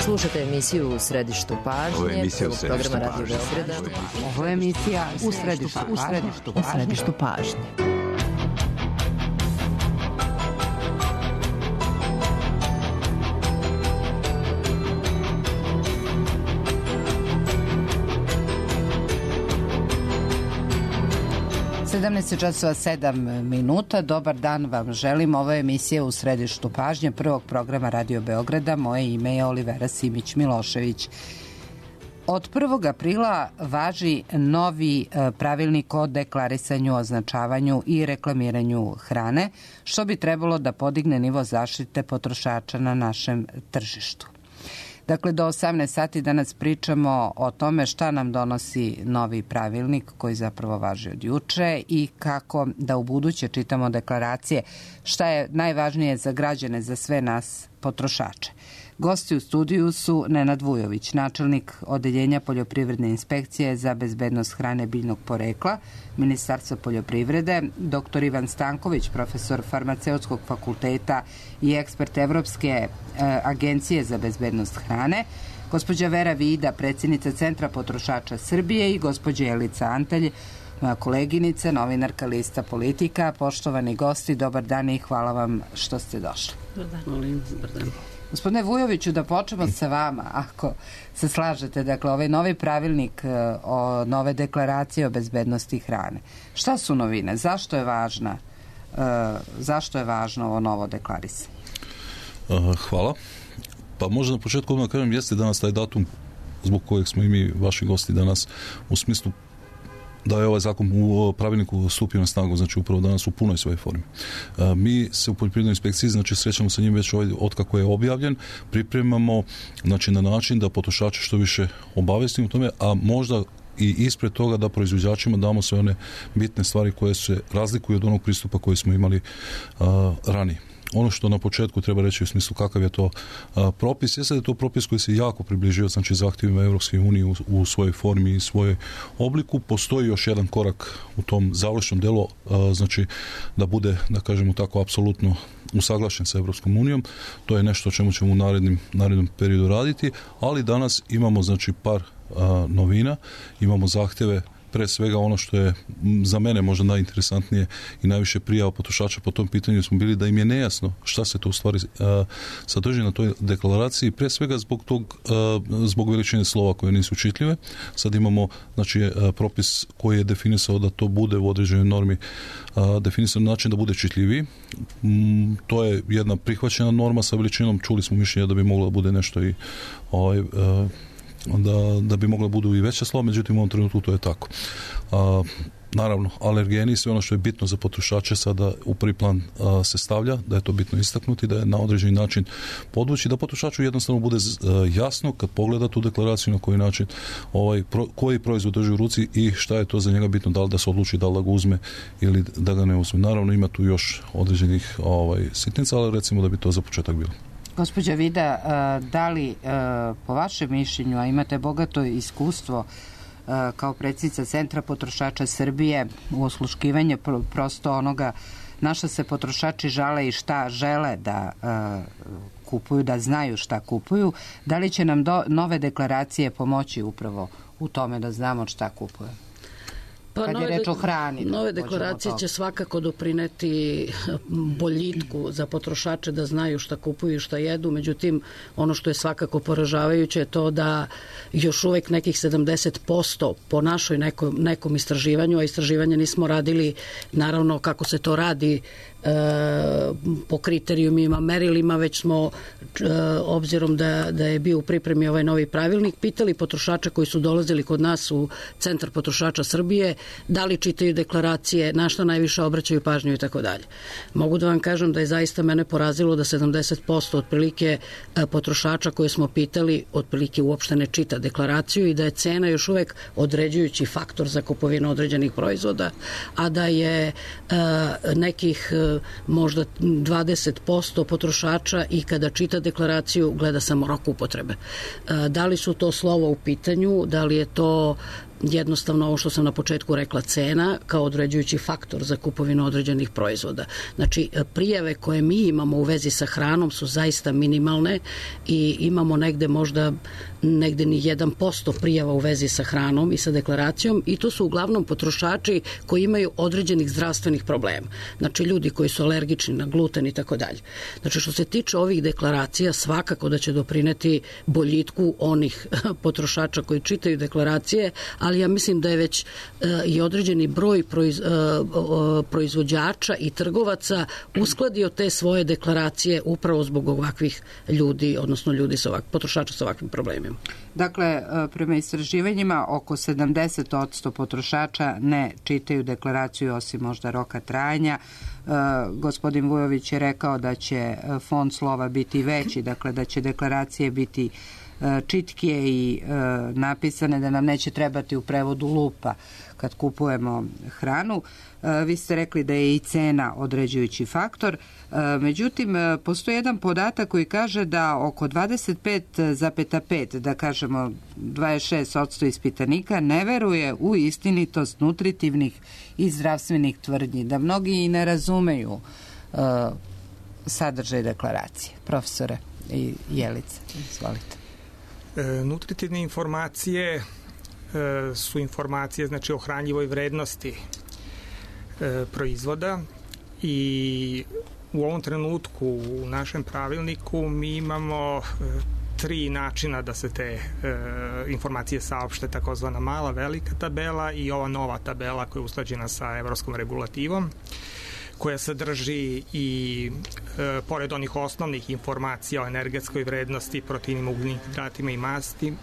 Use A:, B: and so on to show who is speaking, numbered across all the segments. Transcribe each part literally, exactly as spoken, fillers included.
A: Slušate emisiju U središtu pažnje. Ovo je emisija U središtu pažnje.
B: Ovo je emisija U središtu pažnje. U središtu pažnje. sedamnaest časova sedam minuta. Dobar dan vam želim. Ovo je emisija U središtu pažnje prvog programa Radio Beograda. Moje ime je Olivera Simić-Milošević. Od prvog aprila važi novi pravilnik o deklarisanju, označavanju i reklamiranju hrane, što bi trebalo da podigne nivo zaštite potrošača na našem tržištu. Dakle, do osamnaest sati danas pričamo o tome šta nam donosi novi pravilnik koji zapravo važi od juče i kako da u buduće čitamo deklaracije, šta je najvažnije za građane, za sve nas potrošače. Gosti u studiju su Nenad Vujović, načelnik Odeljenja poljoprivredne inspekcije za bezbednost hrane biljnog porekla, Ministarstva poljoprivrede, doktor Ivan Stanković, profesor farmaceutskog fakulteta i ekspert Evropske e, agencije za bezbednost hrane, gospođa Vera Vida, predsjednica Centra potrošača Srbije i gospođa Jelica Antalj, moja koleginica, novinarka Lista Politika. Poštovani gosti, dobar dan i hvala vam što ste došli.
C: Dobar dan. Molim, dobar dan.
B: Gospodine Vujoviću, da počnemo sa vama, ako se slažete. Dakle, ovaj novi pravilnik o nove deklaracije o bezbednosti hrane. Šta su novine? Zašto je važna? Uh, zašto je važno ovo novo deklarisanje?
D: Uh, hvala. Pa možda na početku odmah kažem, jeste danas taj datum zbog kojeg smo i mi, vaši gosti danas, u smislu da je ovaj zakon u pravilniku stupio na snagu, znači upravo danas u punoj svojoj formi. E, mi se u poljoprivrednoj inspekciji, znači srećamo sa njim već ovaj, otkako je objavljen, pripremamo znači, na način da potrošače što više obavestimo u tome, a možda i ispred toga da proizvođačima damo sve one bitne stvari koje se razlikuju od onog pristupa koji smo imali a, ranije. Ono što na početku treba reći u smislu kakav je to a, propis, jeste da je to propis koji se jako približio znači zahtjevima Evropske unije u, u svojoj formi i svojoj obliku. Postoji još jedan korak u tom završnom delu, a, znači da bude, da kažemo tako, apsolutno usaglašen sa Evropskom unijom. To je nešto o čemu ćemo u narednim, narednom periodu raditi, ali danas imamo znači par a, novina, imamo zahtjeve. Pre svega ono što je za mene možda najinteresantnije i najviše prijava potrošača po tom pitanju smo bili da im je nejasno šta se to u stvari uh, sadrži na toj deklaraciji, pre svega zbog tog uh, zbog veličine slova koje nisu čitljive. Sad imamo znači uh, propis koji je definisao da to bude u određenoj normi uh, definisan način da bude čitljiviji. Mm, to je jedna prihvaćena norma sa veličinom, čuli smo mišljenje da bi moglo da bude nešto i ovaj uh, Da, da bi mogla budu i veća slova, međutim u ovom trenutku to je tako. A, naravno, alergeni i sve ono što je bitno za potrošače sada u prvi plan a, se stavlja, da je to bitno istaknuti, da je na određeni način podvući, da potrošaču jednostavno bude a, jasno kad pogleda tu deklaraciju na koji način ovaj, pro, koji proizvod drži u ruci i šta je to za njega bitno, da li da se odluči da li da ga uzme ili da ga ne uzme. Naravno ima tu još određenih ovaj, sitnica, ali recimo da bi to za početak bilo.
B: Gospođa Vida, da li po vašem mišljenju, a imate bogato iskustvo kao predsjednica Centra potrošača Srbije u osluškivanju prosto onoga na šta se potrošači žale i šta žele da kupuju, da znaju šta kupuju, da li će nam do, nove deklaracije pomoći upravo u tome da znamo šta kupuju?
C: Pa
B: kad je reč o hrani.
C: Nove deklaracije će svakako doprineti boljitku za potrošače da znaju šta kupuju i šta jedu, međutim ono što je svakako poražavajuće je to da još uvek nekih sedamdeset posto po našoj nekom, nekom istraživanju, a istraživanje nismo radili naravno kako se to radi po kriterijumima, merilima, već smo obzirom da, da je bio u pripremi ovaj novi pravilnik, pitali potrošača koji su dolazili kod nas u Centar potrošača Srbije da li čitaju deklaracije, na šta najviše obraćaju pažnju i tako dalje. Mogu da vam kažem da je zaista mene porazilo da sedamdeset posto otprilike potrošača koje smo pitali otprilike uopšte ne čita deklaraciju i da je cena još uvek određujući faktor za kupovinu određenih proizvoda, a da je nekih možda dvadeset posto potrošača i kada čita deklaraciju gleda samo rok upotrebe. Da li su to slova u pitanju, da li je to jednostavno ovo što sam na početku rekla, cena kao određujući faktor za kupovinu određenih proizvoda. Znači, prijave koje mi imamo u vezi sa hranom su zaista minimalne i imamo negde možda negde ni jedan posto prijava u vezi sa hranom i sa deklaracijom i to su uglavnom potrošači koji imaju određenih zdravstvenih problema. Znači, ljudi koji su alergični na gluten i tako dalje. Znači, što se tiče ovih deklaracija, svakako da će doprineti boljitku onih potrošača koji čitaju deklaracije, ali ja mislim da je već uh, i određeni broj proiz, uh, uh, proizvođača i trgovaca uskladio te svoje deklaracije upravo zbog ovakvih ljudi, odnosno ljudi sa ovak, potrošača sa ovakvim problemima.
B: Dakle, prema istraživanjima, oko sedamdeset posto potrošača ne čitaju deklaraciju osim možda roka trajanja. Uh, gospodin Vujović je rekao da će font slova biti veći, dakle da će deklaracije biti čitkije i e, napisane, da nam neće trebati u prevodu lupa kad kupujemo hranu. E, vi ste rekli da je i cena određujući faktor. E, međutim, postoji jedan podatak koji kaže da oko dvadeset pet zarez pet, da kažemo dvadeset šest posto ispitanika ne veruje u istinitost nutritivnih i zdravstvenih tvrdnji, da mnogi i ne razumeju e, sadržaj deklaracije. Profesore i Jelice, izvolite.
E: E, nutritivne informacije e, su informacije znači o hranjivoj vrednosti e, proizvoda i u ovom trenutku u našem pravilniku mi imamo e, tri načina da se te e, informacije saopšte, takozvana mala, velika tabela i ova nova tabela koja je usklađena sa evropskom regulativom, koja sadrži i e, pored onih osnovnih informacija o energetskoj vrednosti, proteinima, ugljenim hidratima i mastima,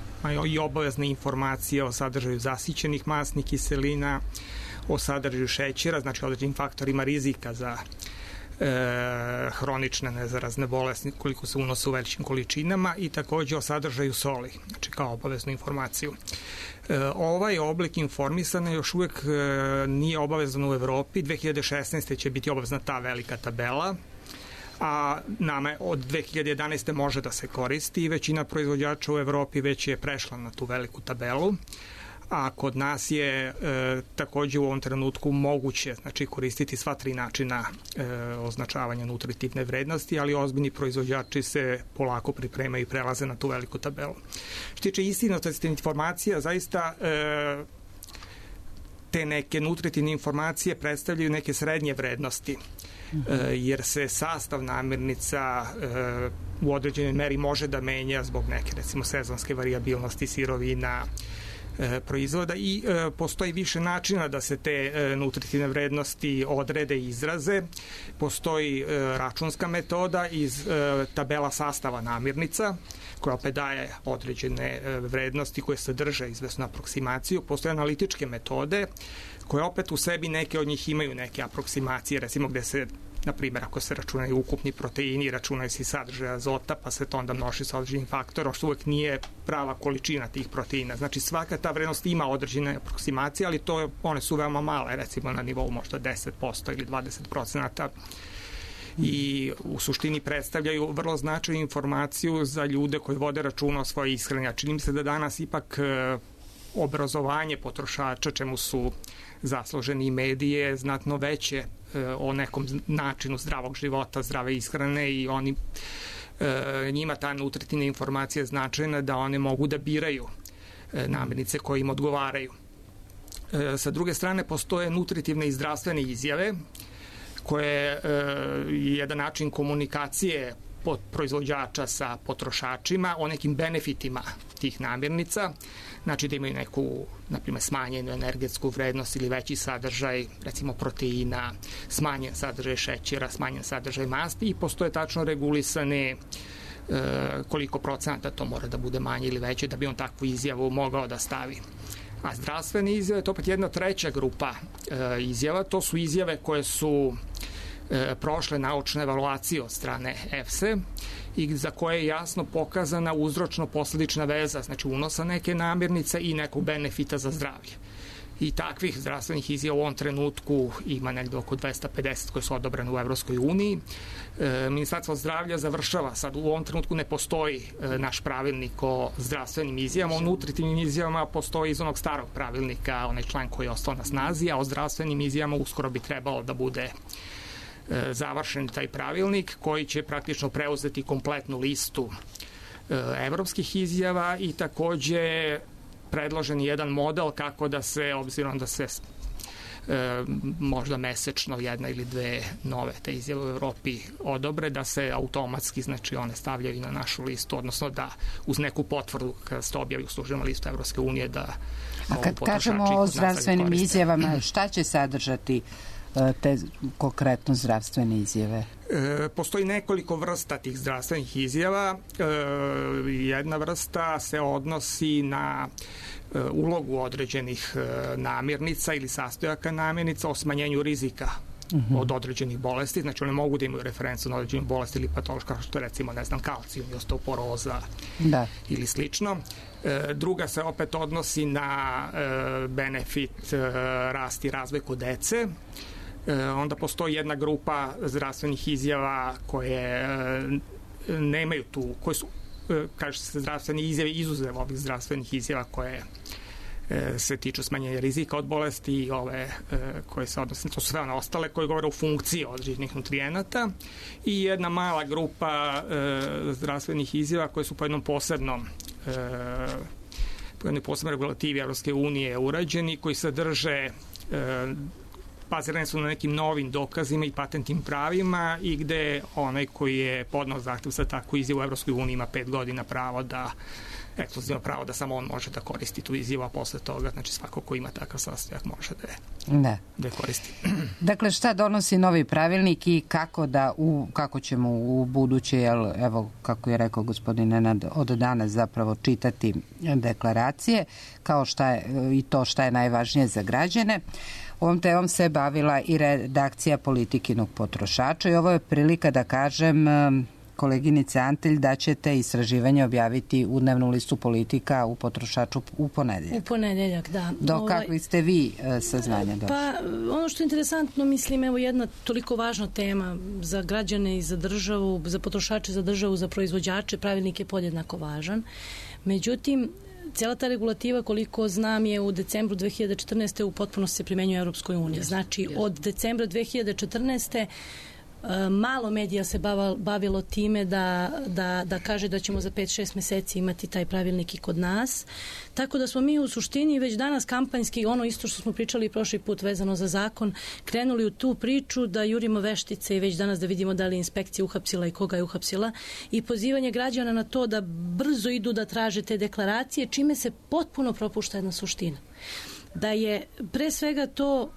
E: i obavezne informacije o sadržaju zasićenih masnih kiselina, o sadržaju šećera, znači određenim faktorima rizika za e, hronične nezarazne bolesti koliko se unose u velikim količinama i takođe o sadržaju soli, znači kao obaveznu informaciju. E, ovaj oblik informisanja još uvek e, nije obavezan u Evropi. dve hiljade šesnaeste. će biti obavezna ta velika tabela, a nama od dve hiljade jedanaeste. može da se koristi i većina proizvođača u Evropi već je prešla na tu veliku tabelu, a kod nas je e, takođe u ovom trenutku moguće znači koristiti sva tri načina e, označavanja nutritivne vrednosti, ali ozbiljni proizvođači se polako pripremaju i prelaze na tu veliku tabelu. Što tiče istinitosti informacija, zaista e, te neke nutritivne informacije predstavljaju neke srednje vrednosti, e, jer se sastav namirnica e, u određenoj meri može da menja zbog neke recimo sezonske varijabilnosti sirovina, proizvoda i e, postoji više načina da se te e, nutritivne vrednosti odrede i izraze. Postoji e, računska metoda iz e, tabela sastava namirnica, koja opet daje određene e, vrednosti koje sadrže izvesnu aproksimaciju. Postoje analitičke metode koje opet u sebi neke od njih imaju neke aproksimacije, recimo gde se na primjer, ako se računaju ukupni proteini, računaju se i sadržaj azota, pa se to onda množi sa određenim faktorom, što uvek nije prava količina tih proteina. Znači, svaka ta vrednost ima određene aproksimacije, ali to, one su veoma male, recimo na nivou možda deset posto ili dvadeset posto i u suštini predstavljaju vrlo značajnu informaciju za ljude koji vode računa o svojoj ishrani. A čini mi se da danas ipak obrazovanje potrošača, čemu su zasluženi medije, znatno veće o nekom načinu zdravog života, zdrave ishrane i oni e, njima ta nutritivna informacija je značajna da one mogu da biraju e, namirnice koje im odgovaraju. E, sa druge strane, postoje nutritivne i zdravstvene izjave koje e, je jedan način komunikacije pod proizvođača sa potrošačima o nekim benefitima tih namirnica, znači da imaju neku, na primjer, smanjenu energetsku vrednost ili veći sadržaj, recimo proteina, smanjen sadržaj šećera, smanjen sadržaj masti i postoje tačno regulisane e, koliko procenata to mora da bude manje ili veće da bi on takvu izjavu mogao da stavi. A zdravstvene izjave, to opet jedna treća grupa e, izjava, to su izjave koje su e, prošle naučne evaluacije od strane EFSE i za koje je jasno pokazana uzročno-posledična veza, znači unosa neke namirnice i nekog benefita za zdravlje. I takvih zdravstvenih izjava u ovom trenutku ima negde oko dvesta pedeset koje su odobrane u Evropskoj uniji Ministarstvo zdravlja završava, sad u ovom trenutku ne postoji naš pravilnik o zdravstvenim izjavama, o nutritivnim izjavama postoji iz onog starog pravilnika, onaj član koji je ostao na snazi, a o zdravstvenim izjavama uskoro bi trebalo da bude završen taj pravilnik koji će praktično preuzeti kompletnu listu evropskih izjava i takođe predložen jedan model kako da se, obzirom da se E, možda mesečno jedna ili dve nove te izjave u Evropi odobre, da se automatski, znači one stavljaju na našu listu, odnosno da uz neku potvrdu kada se to objavi u službenoj listu Evropske unije da
B: a kad kažemo o zdravstvenim izjavama, šta će sadržati te konkretno zdravstvene izjave?
E: E, postoji nekoliko vrsta tih zdravstvenih izjava. E, jedna vrsta se odnosi na e, ulogu određenih e, namirnica ili sastojaka namirnica o smanjenju rizika uh-huh. od određenih bolesti. Znači one mogu da imaju referencu na određenu bolest ili patološku, kao što recimo, ne znam, kalcijum i osteoporoza da. Ili slično. E, druga se opet odnosi na e, benefit e, rast i razvoj kod dece. E, onda postoji jedna grupa zdravstvenih izjava koje e, nemaju tu, koje su, e, kaže se, zdravstvene izjave izuzev ovih zdravstvenih izjava koje e, se tiču smanjenja rizika od bolesti i ove e, koje se odnose, to su sve one ostale koje govore o funkciji određenih nutrijenata i jedna mala grupa e, zdravstvenih izjava koje su po jednom posebnom e, po jednoj posebnoj regulativi Evropske unije urađeni, koji sadrže e, bazirani su na nekim novim dokazima i patentnim pravima i gde onaj koji je podnao zahtev za takvu izjavu u Evropskoj uniji ima pet godina pravo da, ekskluzivno pravo da samo on može da koristi tu izjavu, a posle toga, znači svako ko ima takav sastojak može da je,
B: da.
E: Da je koristi.
B: Dakle, šta donosi novi pravilnik i kako da u, kako ćemo u buduće, jel, evo, kako je rekao gospodin Nenad, od danas zapravo čitati deklaracije, kao šta je, i to šta je najvažnije za građane. Ovom temom se bavila i redakcija Politikinog potrošača i ovo je prilika da kažem koleginice Antelj da ćete istraživanje objaviti u dnevnu listu Politika u potrošaču u ponedeljak.
F: U ponedeljak, da.
B: Do ovaj, kakvi ste vi saznanja došli?
F: Pa ono što je interesantno, mislim, evo jedna toliko važna tema za građane i za državu, za potrošače, za državu, za proizvođače, pravilnik je podjednako važan. Međutim, cijela ta regulativa, koliko znam, je u decembru dve hiljade četrnaeste u potpunosti se primenjuje u Europskoj uniji. Znači, od decembra dve hiljade četrnaeste malo medija se bavilo time da, da, da kaže da ćemo za pet šest meseci imati taj pravilnik i kod nas. Tako da smo mi u suštini već danas kampanjski, ono isto što smo pričali prošli put vezano za zakon, krenuli u tu priču da jurimo veštice i već danas da vidimo da li je inspekcija uhapsila i koga je uhapsila i pozivanje građana na to da brzo idu da traže te deklaracije, čime se potpuno propušta jedna suština. Da je pre svega to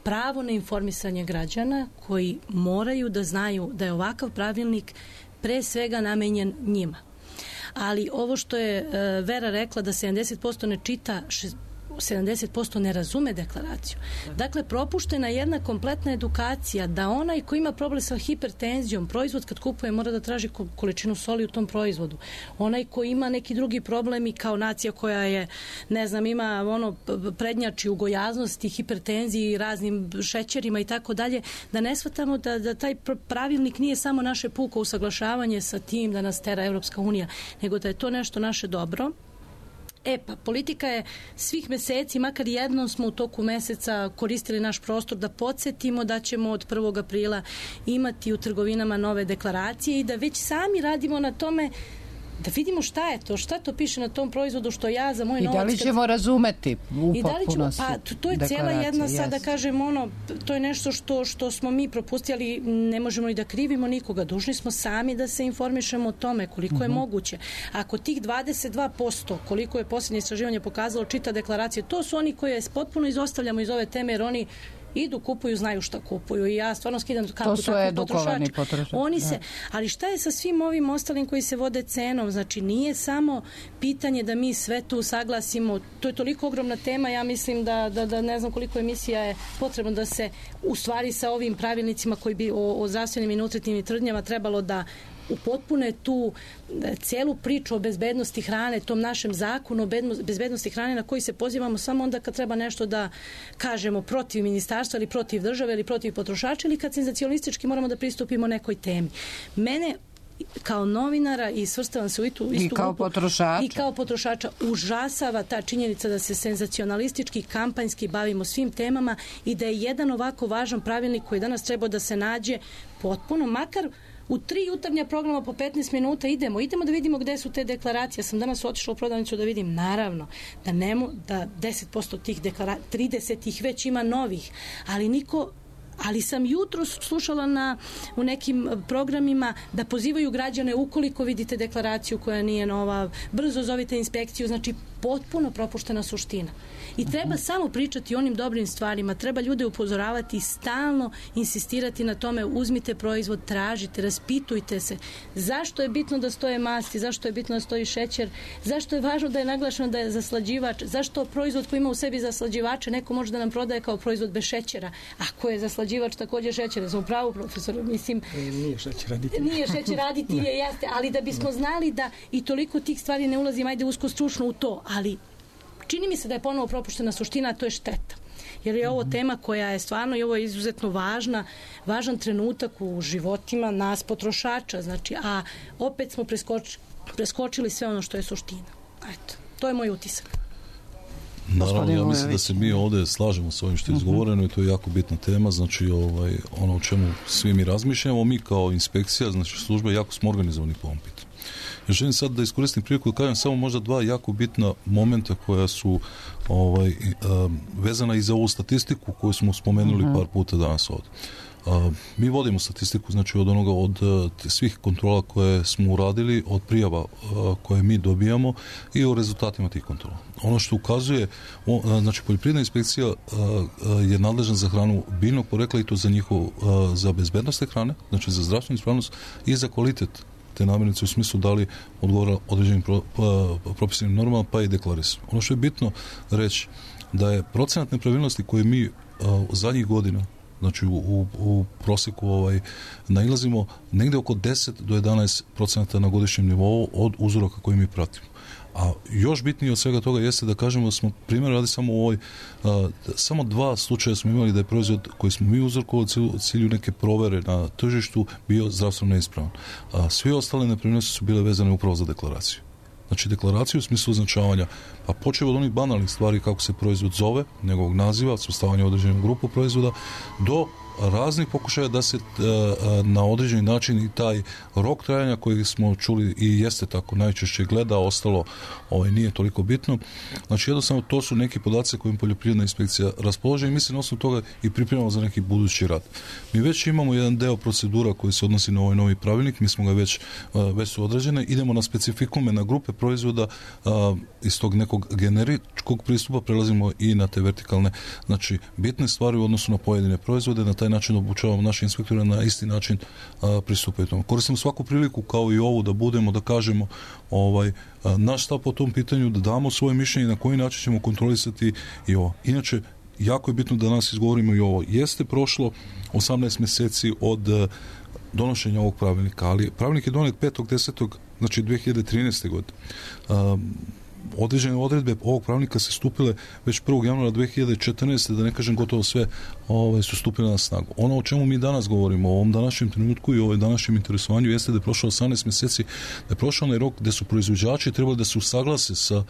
F: pravo na informisanje građana koji moraju da znaju da je ovakav pravilnik pre svega namenjen njima. Ali ovo što je Vera rekla da sedamdeset posto ne čita, sedamdeset posto ne razume deklaraciju. Dakle, propuštena jedna kompletna edukacija da onaj ko ima problem sa hipertenzijom, proizvod kad kupuje mora da traži količinu soli u tom proizvodu. Onaj ko ima neki drugi problem i kao nacija koja je, ne znam, ima ono prednjači u gojaznosti, hipertenziji i raznim šećerima i tako dalje, da ne shvatamo da, da taj pravilnik nije samo naše puko usaglašavanje sa tim da nas tera Evropska unija, nego da je to nešto naše dobro. E pa, politika je svih meseci, makar jednom smo u toku meseca koristili naš prostor da podsjetimo da ćemo od prvog aprila imati u trgovinama nove deklaracije i da već sami radimo na tome da vidimo šta je to, šta to piše na tom proizvodu što ja za moj novac...
B: I da li ćemo kad... razumeti u
F: I da li ćemo, pa to je cijela jedna, sad da kažem, ono, to je nešto što, što smo mi propustili, ne možemo i da krivimo nikoga, dužni smo sami da se informišemo o tome koliko uh-huh. je moguće. Ako tih dvadeset dva posto, koliko je posljednje istraživanje pokazalo, čita deklaracije, to su oni koje potpuno izostavljamo iz ove teme, jer oni idu, kupuju, znaju šta kupuju i ja stvarno skidam kapu takvim potrošača.
B: Potrošač.
F: Oni se, ali šta je sa svim ovim ostalim koji se vode cenom? Znači, nije samo pitanje da mi sve tu saglasimo, to je toliko ogromna tema, ja mislim da, da, da ne znam koliko emisija je potrebno da se u stvari sa ovim pravilnicima koji bi o, o zdravstvenim i nutritivnim tvrdnjama trebalo da upotpune tu celu priču o bezbednosti hrane, tom našem zakonu o bezbednosti hrane na koji se pozivamo samo onda kad treba nešto da kažemo protiv ministarstva ili protiv države ili protiv potrošača ili kad senzacionalistički moramo da pristupimo nekoj temi. Mene kao novinara i svrstavam se u istu, istu
B: I kao
F: grupu,
B: potrošača.
F: i kao potrošača užasava ta činjenica da se senzacionalistički, kampanjski bavimo svim temama i da je jedan ovako važan pravilnik koji danas treba da se nađe potpuno, makar u tri jutarnja programa po petnaest minuta idemo, idemo da vidimo gde su te deklaracije. Ja sam danas otišla u prodavnicu da vidim, naravno, da nemo, da deset posto tih deklaracija, trideset ih već ima novih, ali niko ali sam jutro slušala na, u nekim programima da pozivaju građane ukoliko vidite deklaraciju koja nije nova, brzo zovite inspekciju, znači potpuno propuštena suština. I treba uh-huh. samo pričati o onim dobrim stvarima, treba ljude upozoravati i stalno insistirati na tome, uzmite proizvod, tražite, raspitujte se. Zašto je bitno da stoje masti, zašto je bitno da stoji šećer, zašto je važno da je naglašeno da je zaslađivač, zašto proizvod koji ima u sebi zaslađivače neko može da nam prodaje kao proizvod bez šećera, ako je zaslađivač također šećer. Ja sam u pravu, profesor, mislim...
E: Nije šećer aditiv.
F: Nije šećer aditiv, je, jeste, ali da bismo znali da i toliko tih stvari ne ulazim, ajde usko stručno u to, ali čini mi se da je ponovo propuštena suština, a to je šteta. Jer je ovo tema koja je stvarno i ovo je izuzetno važna, važan trenutak u životima nas potrošača, znači, a opet smo preskoči, preskočili sve ono što je suština. Eto, to je moj utisak.
D: Naravno, ja mislim da se mi ovdje slažemo s ovim što je izgovoreno i to je jako bitna tema, znači ovaj, ono o čemu svi mi razmišljamo, mi kao inspekcija, znači služba, jako smo organizovani po ovom pitanju. Ja želim sad da iskoristim priliku da kažem samo možda dva jako bitna momenta koja su ovaj, um, vezana i za ovu statistiku koju smo spomenuli uh-huh. par puta danas ovdje. Uh, mi vodimo statistiku znači od onoga od uh, svih kontrola koje smo uradili, od prijava uh, koje mi dobijamo i o rezultatima tih kontrola. Ono što ukazuje, uh, znači poljoprivredna inspekcija uh, uh, je nadležna za hranu biljnog porekla i to za njihov, uh, za bezbednost te hrane, znači za zdravstvenu ispravnost i za kvalitet te namirnice u smislu da li odgovara određenim pro, pa, propisanim normama pa i deklarisano. Ono što je bitno reći da je procenat nepravilnosti koje mi uh, zadnjih godina znači u, u, u prosjeku ovaj, nailazimo negdje oko deset do jedanaest procenata na godišnjem nivou od uzoraka koje mi pratimo. A još bitnije od svega toga jeste da kažemo da smo primjer radi samo u ovoj, a, samo dva slučaja smo imali da je proizvod koji smo mi uzorkovali u cilju neke provere na tržištu bio zdravstveno neispravan. A svi ostale nepravilnosti su bile vezane upravo za deklaraciju. Znači deklaraciju u smislu označavanja, pa počeo od onih banalnih stvari kako se proizvod zove, njegovog naziva, svrstavanja u određenu grupu proizvoda, do raznih pokušaja da se na određeni način i taj rok trajanja koji smo čuli i jeste tako najčešće gleda, ostalo ovaj, nije toliko bitno. Znači jednostavno to su neki podaci kojim poljoprivredna inspekcija raspolože i mislim na osnovu toga i pripremamo za neki budući rad. Mi već imamo jedan deo procedura koji se odnosi na ovaj novi pravilnik, mi smo ga već, već su određene, idemo na specifikume, na grupe proizvoda iz tog nekog generičkog pristupa prelazimo i na te vertikalne, znači bitne stvari u odnosu na pojedine proizvode, na taj način obučavamo naše inspektore na isti način a, pristupaju tomu. Koristimo svaku priliku kao i ovu da budemo, da kažemo ovaj, a, naš stav po tom pitanju, da damo svoje mišljenje na koji način ćemo kontrolisati i ovo. Inače, jako je bitno da danas izgovorimo i ovo. Jeste prošlo osamnaest mjeseci od a, donošenja ovog pravilnika, ali pravilnik je donijet petog desetog znači dve hiljade trinaeste. godine. A, određene odredbe ovog pravilnika se stupile već prvog januara dve hiljade četrnaeste. da ne kažem gotovo sve ovaj, su stupile na snagu. Ono o čemu mi danas govorimo, o ovom današnjem trenutku i o ovom današnjem interesovanju jeste da je prošlo osamnaest mjeseci, da je prošao onaj rok gde su proizvođači trebali da se usaglase sa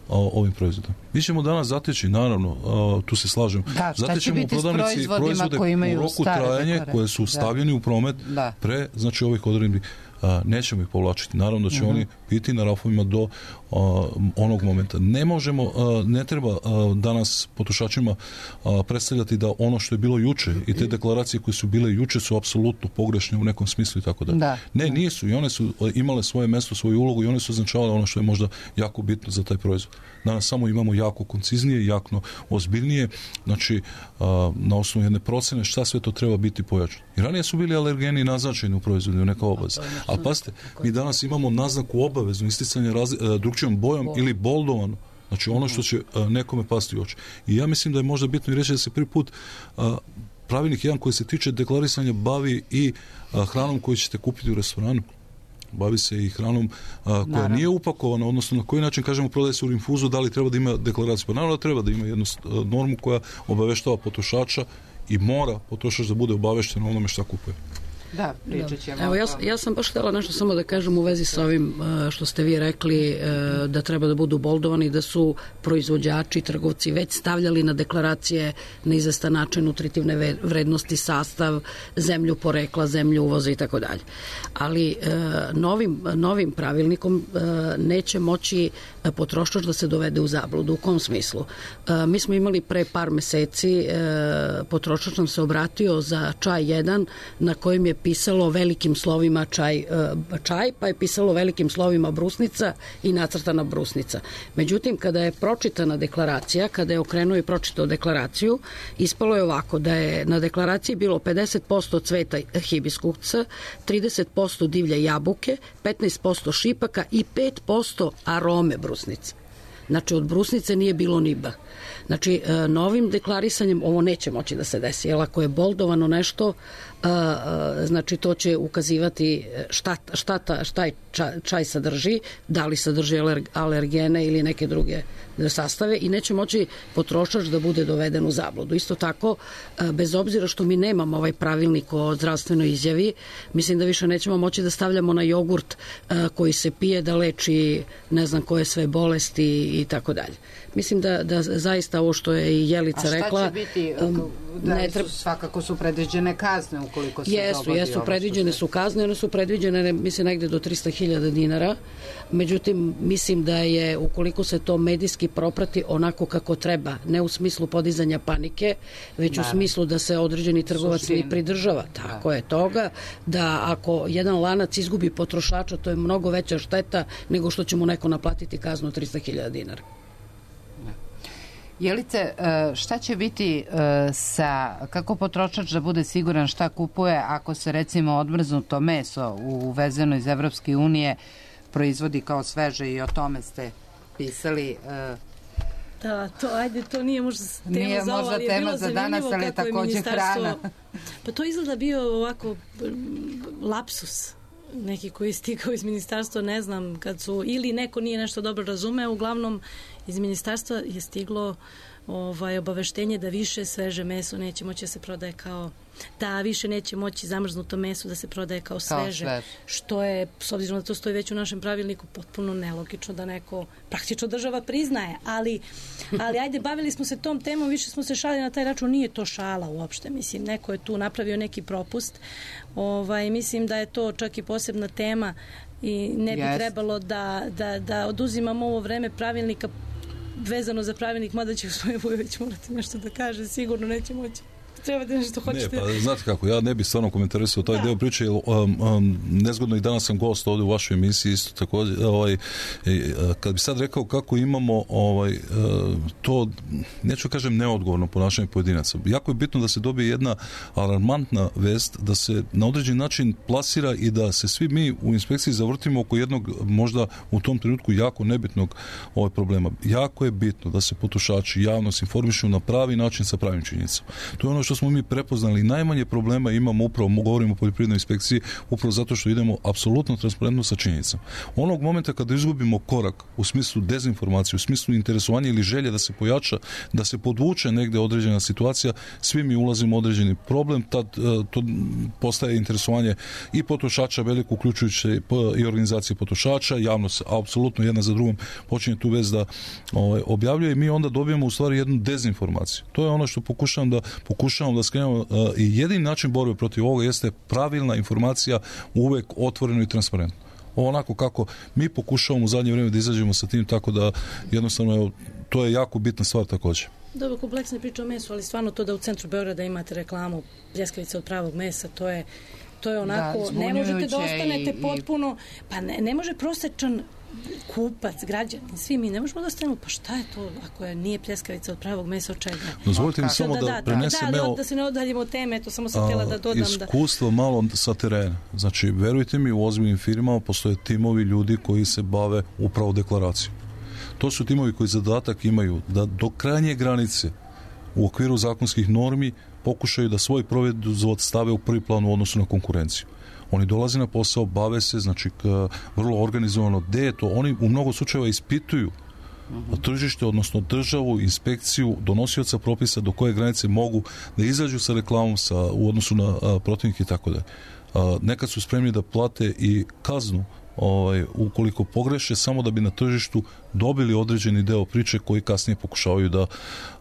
D: o, ovim proizvodom. Mi ćemo danas zateći, naravno, a, tu se slažem,
B: da,
D: zatećemo u prodavnici proizvode u roku trajanja koje su stavljeni da. u promet da. pre, znači ovih odredbi. A, nećemo ih povlačiti. Naravno da će uh-huh. oni biti na rafovima do a, onog momenta. Ne možemo, a, ne treba a, danas potrošačima a, predstavljati da ono što je bilo juče i te deklaracije koje su bile juče su apsolutno pogrešne u nekom smislu i tako da.
B: da.
D: Ne, nisu. I one su imale svoje mesto, svoju ulogu i one su označavale ono što je možda jako bitno za taj proizvod. Danas samo imamo jako konciznije, jako ozbiljnije, znači a, na osnovu jedne procene šta sve to treba biti pojačano. I ranije su bili alergeni naznačeni u proizvodu, u neka obaveza. Ali pazite, mi danas imamo naznaku obaveznu isticanje razli- drugčijom bojom Bol. ili boldovano. Znači ono što će a, nekome pasti u oči. I ja mislim da je možda bitno i reći da se prvi put a, pravilnik jedan koji se tiče deklarisanja bavi i a, hranom koju ćete kupiti u restoranu. bavi se i hranom a, koja naravno nije upakovana, odnosno na koji način kažemo prodaje se u rinfuzu, da li treba da ima deklaraciju? Pa naravno da treba da ima jednu normu koja obaveštava potrošača i mora potrošač da bude obavešten o onome šta kupuje.
B: Da, pričat ćemo.
C: Evo, ja, ja sam baš htjela nešto samo da kažem u vezi sa ovim što ste vi rekli, da treba da budu boldovani, da su proizvođači, trgovci već stavljali na deklaracije na izvestan način nutritivne vrednosti, sastav, zemlju porekla, zemlju uvoza i tako dalje. Ali novim, novim pravilnikom neće moći potrošač da se dovede u zabludu. U kom smislu? Mi smo imali pre par meseci, potrošač nam se obratio za čaj jedan na kojem je pisalo velikim slovima čaj, čaj, pa je pisalo velikim slovima brusnica i nacrtana brusnica. Međutim, kada je pročitana deklaracija, kada je okrenuo i pročitao deklaraciju, ispalo je ovako, da je na deklaraciji bilo pedeset posto cveta hibiskusa, trideset posto divlje jabuke, petnaest posto šipaka i pet posto arome brusnice. Znači, od brusnice nije bilo ni B. Znači, novim deklarisanjem ovo neće moći da se desi, jer ako je boldovano nešto, znači to će ukazivati šta, šta, ta, šta čaj, čaj sadrži, da li sadrži alergene ili neke druge sastave i neće moći potrošač da bude doveden u zabludu. Isto tako, bez obzira što mi nemamo ovaj pravilnik o zdravstvenoj izjavi, mislim da više nećemo moći da stavljamo na jogurt koji se pije da leči ne znam koje sve bolesti i tako dalje. Mislim da, da zaista ovo što je i Jelica rekla...
B: A šta će biti? Da, ne treba... Svakako su predviđene kazne ukoliko se
C: jesu,
B: dogodi
C: jesu,
B: ovo
C: predviđene
B: se...
C: su kazne, one su predviđene, mislim, negde do trista hiljada dinara. Međutim, mislim da je, ukoliko se to medijski proprati onako kako treba, ne u smislu podizanja panike, već da, u smislu da se određeni trgovac i pridržava. Tako da je toga, da ako jedan lanac izgubi potrošača, to je mnogo veća šteta nego što će mu neko naplatiti kaznu od trista hiljada dinara.
B: Jelice, šta će biti sa, kako potrošač da bude siguran šta kupuje ako se recimo odmrznuto meso uvezeno iz Evropske unije proizvodi kao sveže i o tome ste pisali?
F: Da, to, ajde, to nije možda tema
B: nije
F: za ovo, ali je bilo
B: za danas, ali je takođe hrana.
F: Pa to izgleda bio ovako lapsus neki koji je stigao iz ministarstva, ne znam, kad su, ili neko nije nešto dobro razumeo, uglavnom iz ministarstva je stiglo ovaj, obaveštenje da više sveže meso neće moći da se prodaje kao, da više neće moći zamrznuto meso da se prodaje kao sveže, kao što je, s obzirom da to stoji već u našem pravilniku, potpuno nelogično da neko, praktično država priznaje, ali, ali ajde, bavili smo se tom temom, više smo se šalili na taj račun, nije to šala uopšte, mislim, neko je tu napravio neki propust, ovaj, mislim da je to čak i posebna tema i ne bi yes. trebalo da, da, da oduzimamo ovo vreme pravilnika vezano za pravilnik, mada će gospodin Vujović morati nešto da kaže, sigurno neće moći. Treba da nešto hoćete.
D: Ne, pa znate kako, ja ne bih stvarno komentarisao taj da. deo priče, jer um, um, nezgodno i danas sam gost ovdje u vašoj emisiji isto također, ovaj, kad bi sad rekao kako imamo ovaj, to, neću kažem neodgovorno ponašanje pojedinaca. Jako je bitno da se dobije jedna alarmantna vest, da se na određen način plasira i da se svi mi u inspekciji zavrtimo oko jednog možda u tom trenutku jako nebitnog ovaj problema. Jako je bitno da se potrošači javnost informišu na pravi način sa pravim činjenicama. To je ono što smo mi prepoznali. Najmanje problema imamo upravo, govorimo o poljoprivrednoj inspekciji, upravo zato što idemo apsolutno transparentno sa činjenicama. Onog momenta kada izgubimo korak u smislu dezinformacije, u smislu interesovanja ili želje da se pojača, da se podvuče negde određena situacija, svi mi ulazimo u određeni problem, tad to postaje interesovanje i potrošača veliko, uključujući i organizacije potrošača, javnost apsolutno jedna za drugom počinje tu vez da ovaj, objavljuje i mi onda dobijemo u stvari jednu dezinformaciju. To je ono što pokušavam da pokušavam da skrenemo i jedini način borbe protiv ovoga jeste pravilna informacija, uvek otvoreno i transparentno. Onako kako mi pokušavamo u zadnje vrijeme da izađemo sa tim, tako da jednostavno evo, to je jako bitna stvar također.
F: Dobro, kompleksna priča o mesu, ali stvarno to da u centru Beograda imate reklamu pljeskavice od pravog mesa, to je to je onako, da, ne možete da ostanete i, potpuno, pa ne, ne može prosečan kupac, građanin, svi mi ne možemo da stanemo, pa šta je to ako je nije pljeskavica od pravog mesa, od čega?
D: Dozvolite mi samo da, da, da prenesem
F: da, da, da se ne odaljimo od teme, to samo sam htjela da dodam.
D: Iskustvo da... malo sa terena. Znači, verujte mi, u ozbiljnim firmama postoje timovi ljudi koji se bave upravo deklaracijom. To su timovi koji zadatak imaju da do krajnje granice u okviru zakonskih normi pokušaju da svoj proizvod stave u prvi plan u odnosu na konkurenciju. Oni dolaze na posao, bave se, znači vrlo organizovano, gde je to, oni u mnogo slučajeva ispituju uh-huh. tržište, odnosno državu, inspekciju, donosioca propisa do koje granice mogu da izađu sa reklamom sa, u odnosu na a, protivnike i tako da. Nekad su spremni da plate i kaznu ovaj, ukoliko pogreše, samo da bi na tržištu dobili određeni deo priče koji kasnije pokušavaju da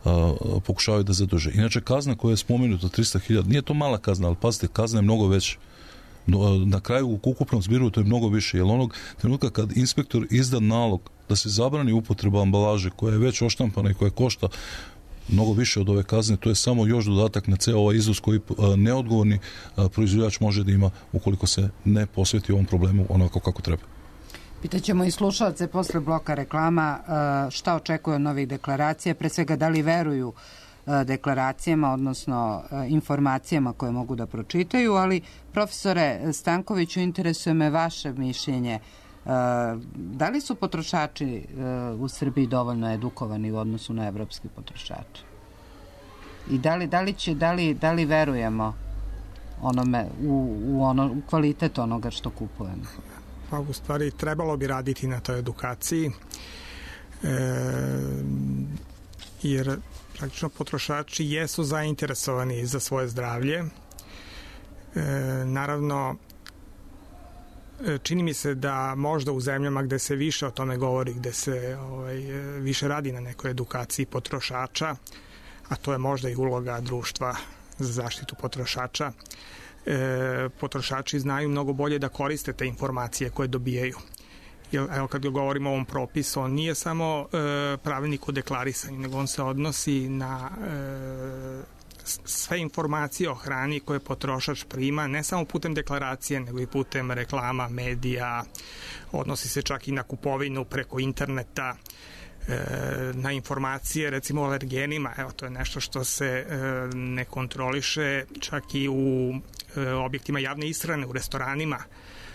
D: a, pokušavaju da zadrže. Inače, kazna koja je spomenuta trista hiljada, nije to mala kazna, ali pazite, kazna je mnogo veća. Na kraju u ukupnom zbiru to je mnogo više, jer onog trenutka kad inspektor izda nalog da se zabrani upotreba ambalaže koja je već oštampana i koja košta mnogo više od ove kazne, to je samo još dodatak na ceo ovaj iznos koji neodgovorni proizvođač može da ima ukoliko se ne posveti ovom problemu onako kako treba.
B: Pitaćemo i slušalce posle bloka reklama šta očekuju od novih deklaracija, pre svega da li veruju deklaracijama, odnosno informacijama koje mogu da pročitaju, ali profesore Stankoviću, interesuje me vaše mišljenje. Da li su potrošači u Srbiji dovoljno edukovani u odnosu na evropski potrošače? I da li, da li, će, da li, da li verujemo onome, u, u, ono, u kvalitet onoga što kupujemo?
E: Pa u stvari trebalo bi raditi na toj edukaciji, e, jer praktično potrošači jesu zainteresovani za svoje zdravlje. E, naravno, čini mi se da možda u zemljama gde se više o tome govori, gde se ovaj, više radi na nekoj edukaciji potrošača, a to je možda i uloga društva za zaštitu potrošača, e, potrošači znaju mnogo bolje da koriste te informacije koje dobijaju. Jer, evo, kad govorimo o ovom propisu, on nije samo e, pravilnik o deklarisanju, nego on se odnosi na e, sve informacije o hrani koje potrošač prima, ne samo putem deklaracije, nego i putem reklama, medija, odnosi se čak i na kupovinu preko interneta, na informacije recimo o alergenima. Evo, to je nešto što se ne kontroliše čak i u objektima javne ishrane, u restoranima.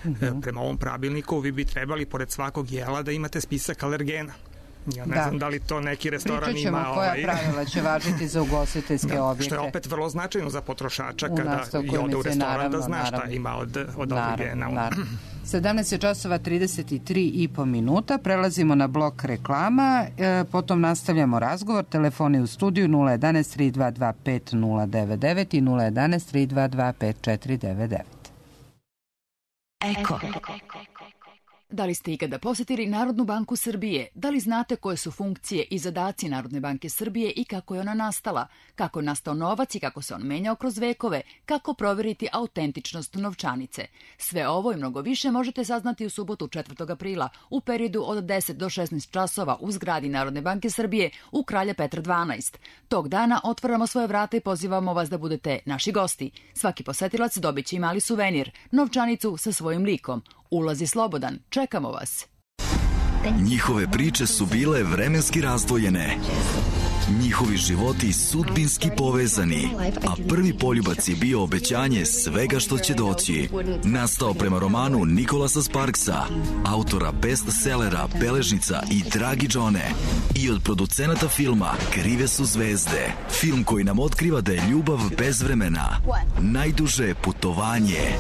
E: Uh-huh. Prema ovom pravilniku vi bi trebali pored svakog jela da imate spisak alergena. Ja ne da. znam da li to neki restoran
B: Pričat ćemo
E: ima...
B: koja
E: ovaj...
B: pravila će važiti za ugostiteljske da, objekte.
E: Što je opet vrlo značajno za potrošača kada i ode u restoran, naravno, da zna šta naravno. ima od, od alergena.
B: sedamnaest je časova trideset tri i po minuta. Prelazimo na blok reklama. E, potom nastavljamo razgovor. Telefoni u studiju nula jedanaest tri dva dva pet nula devet devet i nula jedanaest tri dva dva pet četiri devet devet.
G: Eko. Da li ste ikada posetili Narodnu banku Srbije? Da li znate koje su funkcije i zadaci Narodne banke Srbije i kako je ona nastala? Kako je nastao novac i kako se on menjao kroz vekove? Kako proveriti autentičnost novčanice? Sve ovo i mnogo više možete saznati u subotu četvrtog aprila u periodu od deset do šesnaest časova u zgradi Narodne banke Srbije u Kralja Petra dvanaest. Tog dana otvaramo svoje vrata i pozivamo vas da budete naši gosti. Svaki posetilac dobit će i mali suvenir, novčanicu sa svojim likom. Ulaz je slobodan. Čekamo vas.
H: Njihove priče su bile vremenski razdvojene. Njihovi životi sudbinski povezani, a prvi poljubac je bio obećanje svega što će doći. Nastao prema romanu Nikolasa Sparksa, autora bestsellera Beležnica i Dragi Džone, i od producenata filma Krive su zvezde. Film koji nam otkriva da je ljubav bez vremena. Najduže putovanje.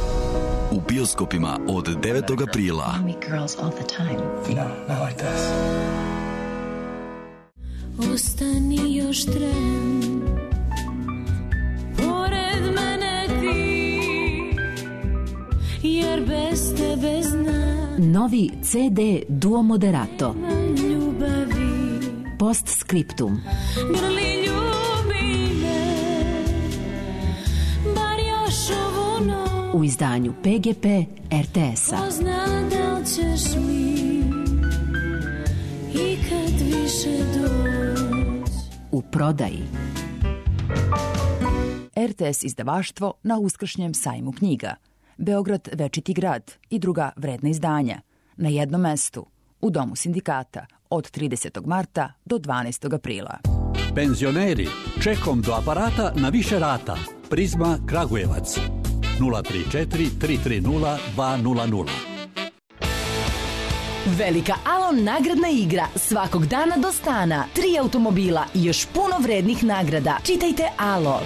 H: U bioskopima od devetog aprila.
I: Ostani još tren, pored mene ti, jer bez tebe znam.
J: Novi C D Duo Moderato.
I: Ljubavi.
J: Postscriptum.
I: Grli ljubi me, bar još ovu noć.
J: U izdanju P G P R T S-a.
I: Ko zna da li ćeš mi i kad više doći.
J: U prodaji.
G: R T S izdavaštvo na uskršnjem sajmu knjiga. Beograd Večiti grad i druga vredna izdanja. Na jednom mestu. U Domu sindikata. Od tridesetog marta do dvanaestog aprila.
K: Penzioneri, čekom do aparata na više rata. Prizma Kragujevac. nula tri četiri tri tri nula dva nula nula.
J: Velika Alon nagradna igra svakog dana do stana. Tri automobila i još puno vrednih nagrada. Čitajte Alo.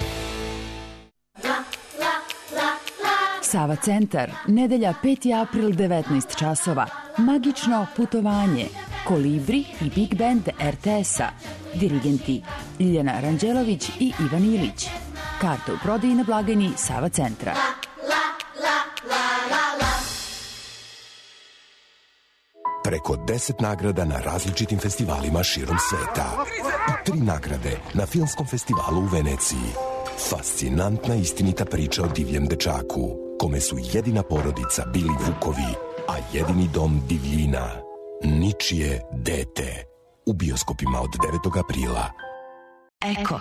G: Sava centar, nedelja peti april devetnaest časova. Magično putovanje. Kolibri i Big Band er te es-a. Dirigenti Ljiljana Ranđelović i Ivan Ilić. Karte u prodaji na blagajni Sava centra.
L: Preko deset nagrada na različitim festivalima širom sveta. Tri nagrade na Filmskom festivalu u Veneciji. Fascinantna istinita priča o divljem dečaku, kome su jedina porodica bili vukovi, a jedini dom divljina. Ničije dete. U bioskopima od devetog aprila.
J: Eko.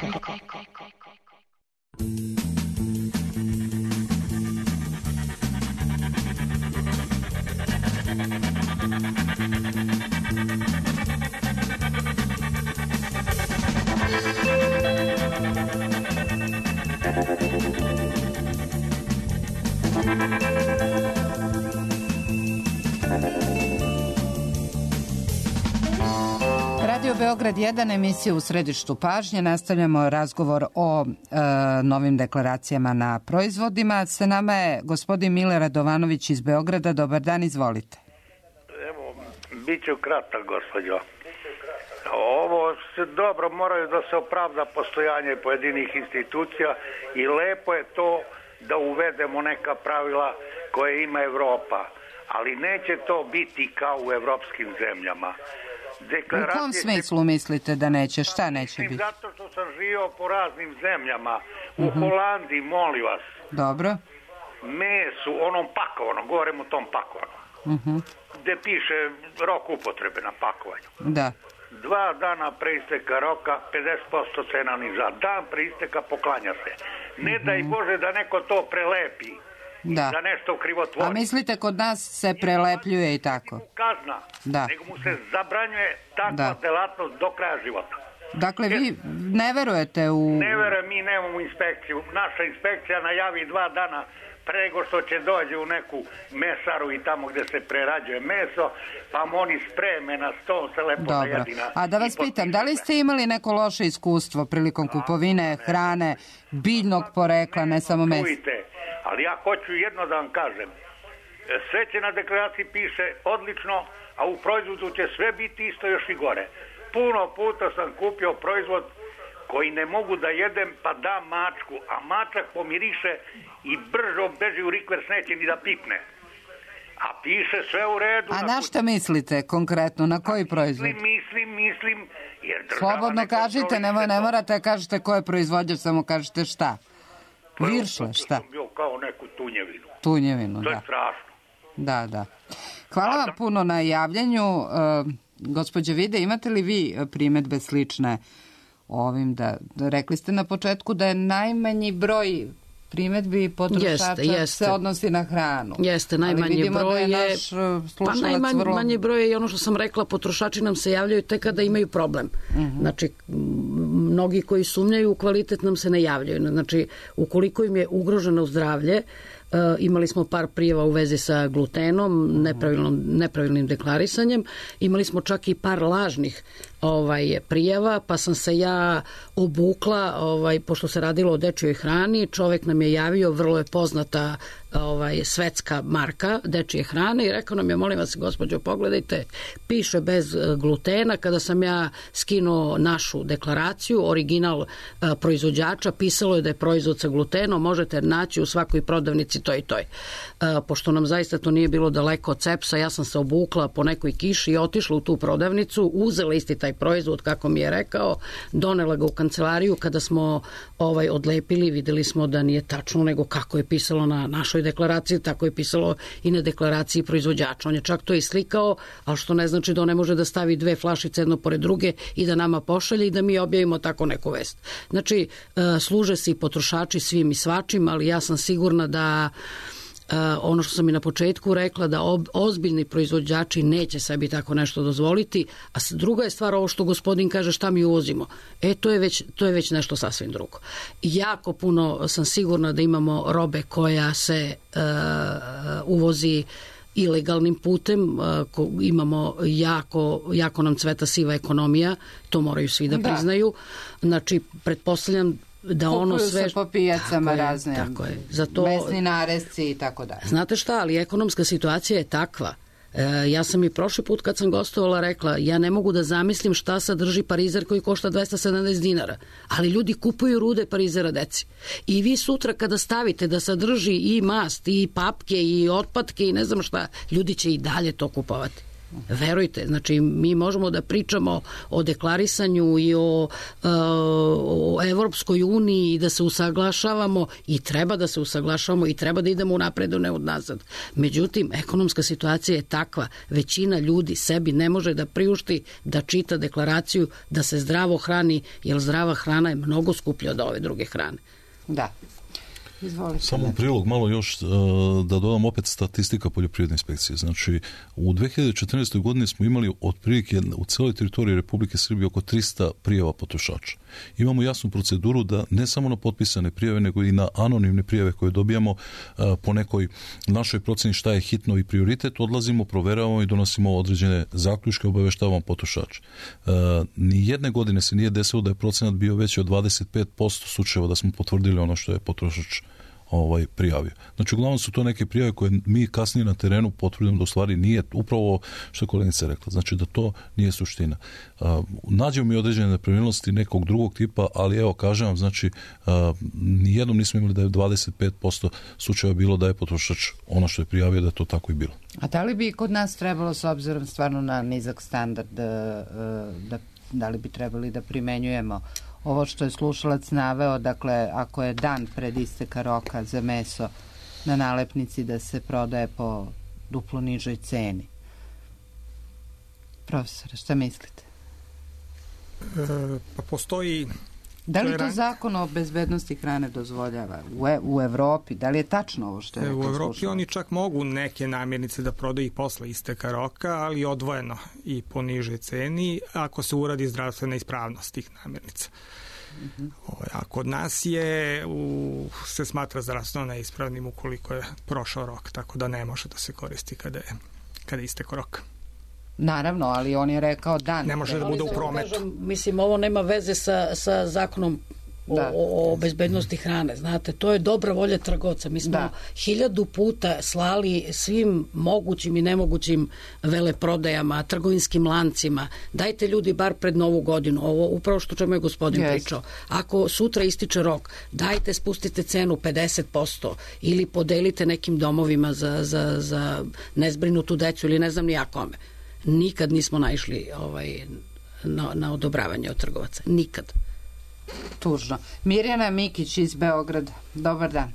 B: Radio Beograd jedan, emisija u središtu pažnje. Nastavljamo razgovor o e, novim deklaracijama na proizvodima. Sa nama je gospodin Mile Radovanović iz Beograda. Dobar dan, izvolite.
M: Evo, bit ću kratak, gospođo. Ovo se dobro, moraju da se opravda postojanje pojedinih institucija i lepo je to da uvedemo neka pravila koje ima Evropa, ali neće to biti kao u evropskim zemljama.
B: U kom smislu mislite da neće? Šta neće biti?
M: Zato što sam živio po raznim zemljama. U uh-huh. Holandiji, molim vas.
B: Dobro.
M: Mesu, onom pakovanom, govorim o tom pakovanom.
B: Uh-huh.
M: Gde piše rok upotrebe na pakovanju.
B: Da.
M: Dva dana pre isteka roka, pedeset posto cena niža. Dan pre isteka poklanja se. Ne uh-huh. daj Bože da neko to prelepi.
B: Da.
M: Da nešto krivotvori.
B: A mislite kod nas se prelepljuje i tako?
M: Kazna.
B: Da.
M: Nego mu se zabranjuje takva da. delatnost do kraja života.
B: Dakle, vi ne verujete u...
M: Ne verujem, mi nemamo inspekciju. Naša inspekcija najavi dva dana prego što će dođe u neku mesaru i tamo gde se prerađuje meso, pa mu oni spreme na sto, se lepo najedina.
B: A da vas pitam, da li ste imali neko loše iskustvo prilikom kupovine hrane biljnog porekla, ne samo mesa?
M: Ali ja hoću jedno da vam kažem. Sve će na deklaraciji piše odlično, a u proizvodu će sve biti isto, još i gore. Puno puta sam kupio proizvod koji ne mogu da jedem, pa dam mačku, a mačak pomiriše i brzo beži u rikvers, neće ni da pipne. A piše sve u redu.
B: A na šta mislite konkretno? Na koji proizvod?
M: Mislim, mislim, mislim. Jer
B: slobodno kažite, ne, ne morate kažete ko je proizvođač, samo kažete šta. Viršle, šta?
M: Sam bio kao neku tunjevinu.
B: Tunjevinu, da.
M: To je strašno.
B: Da, da. Hvala vam puno na javljanju. Uh, gospođo Vide, imate li vi primetbe slične ovim da, da rekli ste na početku da je najmanji broj primetbi potrošača jeste, jeste. se odnosi na hranu.
C: Jeste, najmanji broj je... je pa najmanji vrlo... manji broj je i ono što sam rekla, potrošači nam se javljaju tek kada imaju problem. Uh-huh. Znači, mnogi koji sumnjaju u kvalitet nam se ne javljaju. Znači, ukoliko im je ugroženo zdravlje, Uh, imali smo par prijava u vezi sa glutenom, nepravilnom, nepravilnim deklarisanjem. Imali smo čak i par lažnih ovaj, prijava, pa sam se ja obukla, ovaj, pošto se radilo o dečjoj hrani, čovek nam je javio, vrlo je poznata ovaj, svetska marka dečje hrane i rekao nam je, molim vas, gospođo, pogledajte, piše bez glutena. Kada sam ja skinuo našu deklaraciju, original uh, proizvođača, pisalo je da je proizvod sa glutenom, možete naći u svakoj prodavnici toj i toj. Uh, pošto nam zaista to nije bilo daleko od Cepsa, ja sam se obukla po nekoj kiši i otišla u tu prodavnicu, uzela isti taj proizvod, kako mi je rekao, donela ga u kancelariju. Kada smo ovaj odlepili, videli smo da nije tačno, nego kako je pisalo na našoj deklaraciji, tako je pisalo i na deklaraciji proizvođača. On je čak to i slikao, ali što ne znači da on ne može da stavi dve flašice jedno pored druge i da nama pošalje i da mi objavimo tako neku vest. Znači, služe se i potrošači svim i svačim, ali ja sam sigurna da Uh, ono što sam i na početku rekla, da ob, ozbiljni proizvođači neće sebi tako nešto dozvoliti, a druga je stvar ovo što gospodin kaže šta mi uvozimo. E, to je već, to je već nešto sasvim drugo. Jako puno sam sigurna da imamo robe koja se uh, uvozi ilegalnim putem, ko, imamo jako, jako nam cveta siva ekonomija, to moraju svi da priznaju. Znači, pretpostavljam da ono
B: kupuju
C: sve
B: se po pijacama
C: tako
B: razne,
C: je, tako je. Zato,
B: mesni naresci i tako dalje.
C: Znate šta, ali ekonomska situacija je takva. E, ja sam i prošli put kad sam gostovala rekla, ja ne mogu da zamislim šta sadrži parizer koji košta dvesta sedamdeset dinara, ali ljudi kupuju rude parizera deci. I vi sutra kada stavite da sadrži i mast, i papke, i otpadke, i ne znam šta, ljudi će i dalje to kupovati. Verujte, znači mi možemo da pričamo o deklarisanju i o, o Evropskoj uniji i da se usaglašavamo i treba da se usaglašavamo i treba da idemo u napredu, ne od nazad. Međutim, ekonomska situacija je takva, većina ljudi sebi ne može da priušti da čita deklaraciju da se zdravo hrani, jer zdrava hrana je mnogo skuplja od ove druge hrane.
B: Da. Izvolite.
D: Samo u prilog malo još da dodam opet statistika poljoprivredne inspekcije. Znači, u dve hiljade četrnaestoj godini smo imali otprilike u celoj teritoriji Republike Srbije oko trista prijava potrošača. Imamo jasnu proceduru da ne samo na potpisane prijave, nego i na anonimne prijave koje dobijamo po nekoj našoj proceni šta je hitno i prioritet, odlazimo, proveravamo i donosimo određene zaključke, obaveštavamo potrošača. Ni jedne godine se nije desilo da je procenat bio veći od dvadeset pet posto slučajeva da smo potvrdili ono što je potrošač ovaj prijavio. Znači, uglavnom su to neke prijave koje mi kasnije na terenu potvrdimo da u stvari nije upravo što je kolegica rekla. Znači, da to nije suština. Uh, nađemo mi određene nepravilnosti nekog drugog tipa, ali evo, kažem vam, znači, uh, nijednom nismo imali da je dvadeset pet posto slučajeva bilo da je potrošač ono što je prijavio da je to tako i bilo.
B: A da li bi kod nas trebalo, s obzirom stvarno na nizak standard, da, da, da li bi trebali da primenjujemo ovo što je slušalac naveo, dakle, ako je dan pred isteka roka za meso na nalepnici da se prodaje po duplo nižoj ceni? Profesore, šta mislite?
E: E, pa postoji...
B: Da li to zakon o bezbednosti hrane dozvoljava u, e, u Evropi? Da li je tačno ovo što je rekao slušalac?
E: U Evropi oni čak mogu neke namirnice da prodaju i posle isteka roka, ali odvojeno i po nižoj ceni ako se uradi zdravstvena ispravnost tih namirnica. Mm-hmm. A kod nas je u, se smatra zdravstveno neispravnim ukoliko je prošao rok, tako da ne može da se koristi kada je, kada je istek rok.
B: Naravno, ali on je rekao dan.
E: Ne može da bude u prometu.
C: Kažem, mislim, ovo nema veze sa, sa zakonom o, o, o bezbednosti hrane. Znate, to je dobra volja trgovca. Mi smo da. hiljadu puta slali svim mogućim i nemogućim veleprodajama, trgovinskim lancima. Dajte ljudi bar pred Novu godinu. Ovo upravo što čemu je gospodin yes. pričao. Ako sutra ističe rok, dajte spustite cenu pedeset posto ili podelite nekim domovima za, za, za nezbrinutu decu ili ne znam ni ja kome. Nikad nismo naišli ovaj, na, na odobravanje od trgovaca. Nikad.
B: Tužno. Mirjana Mikić iz Beograda. Dobar dan.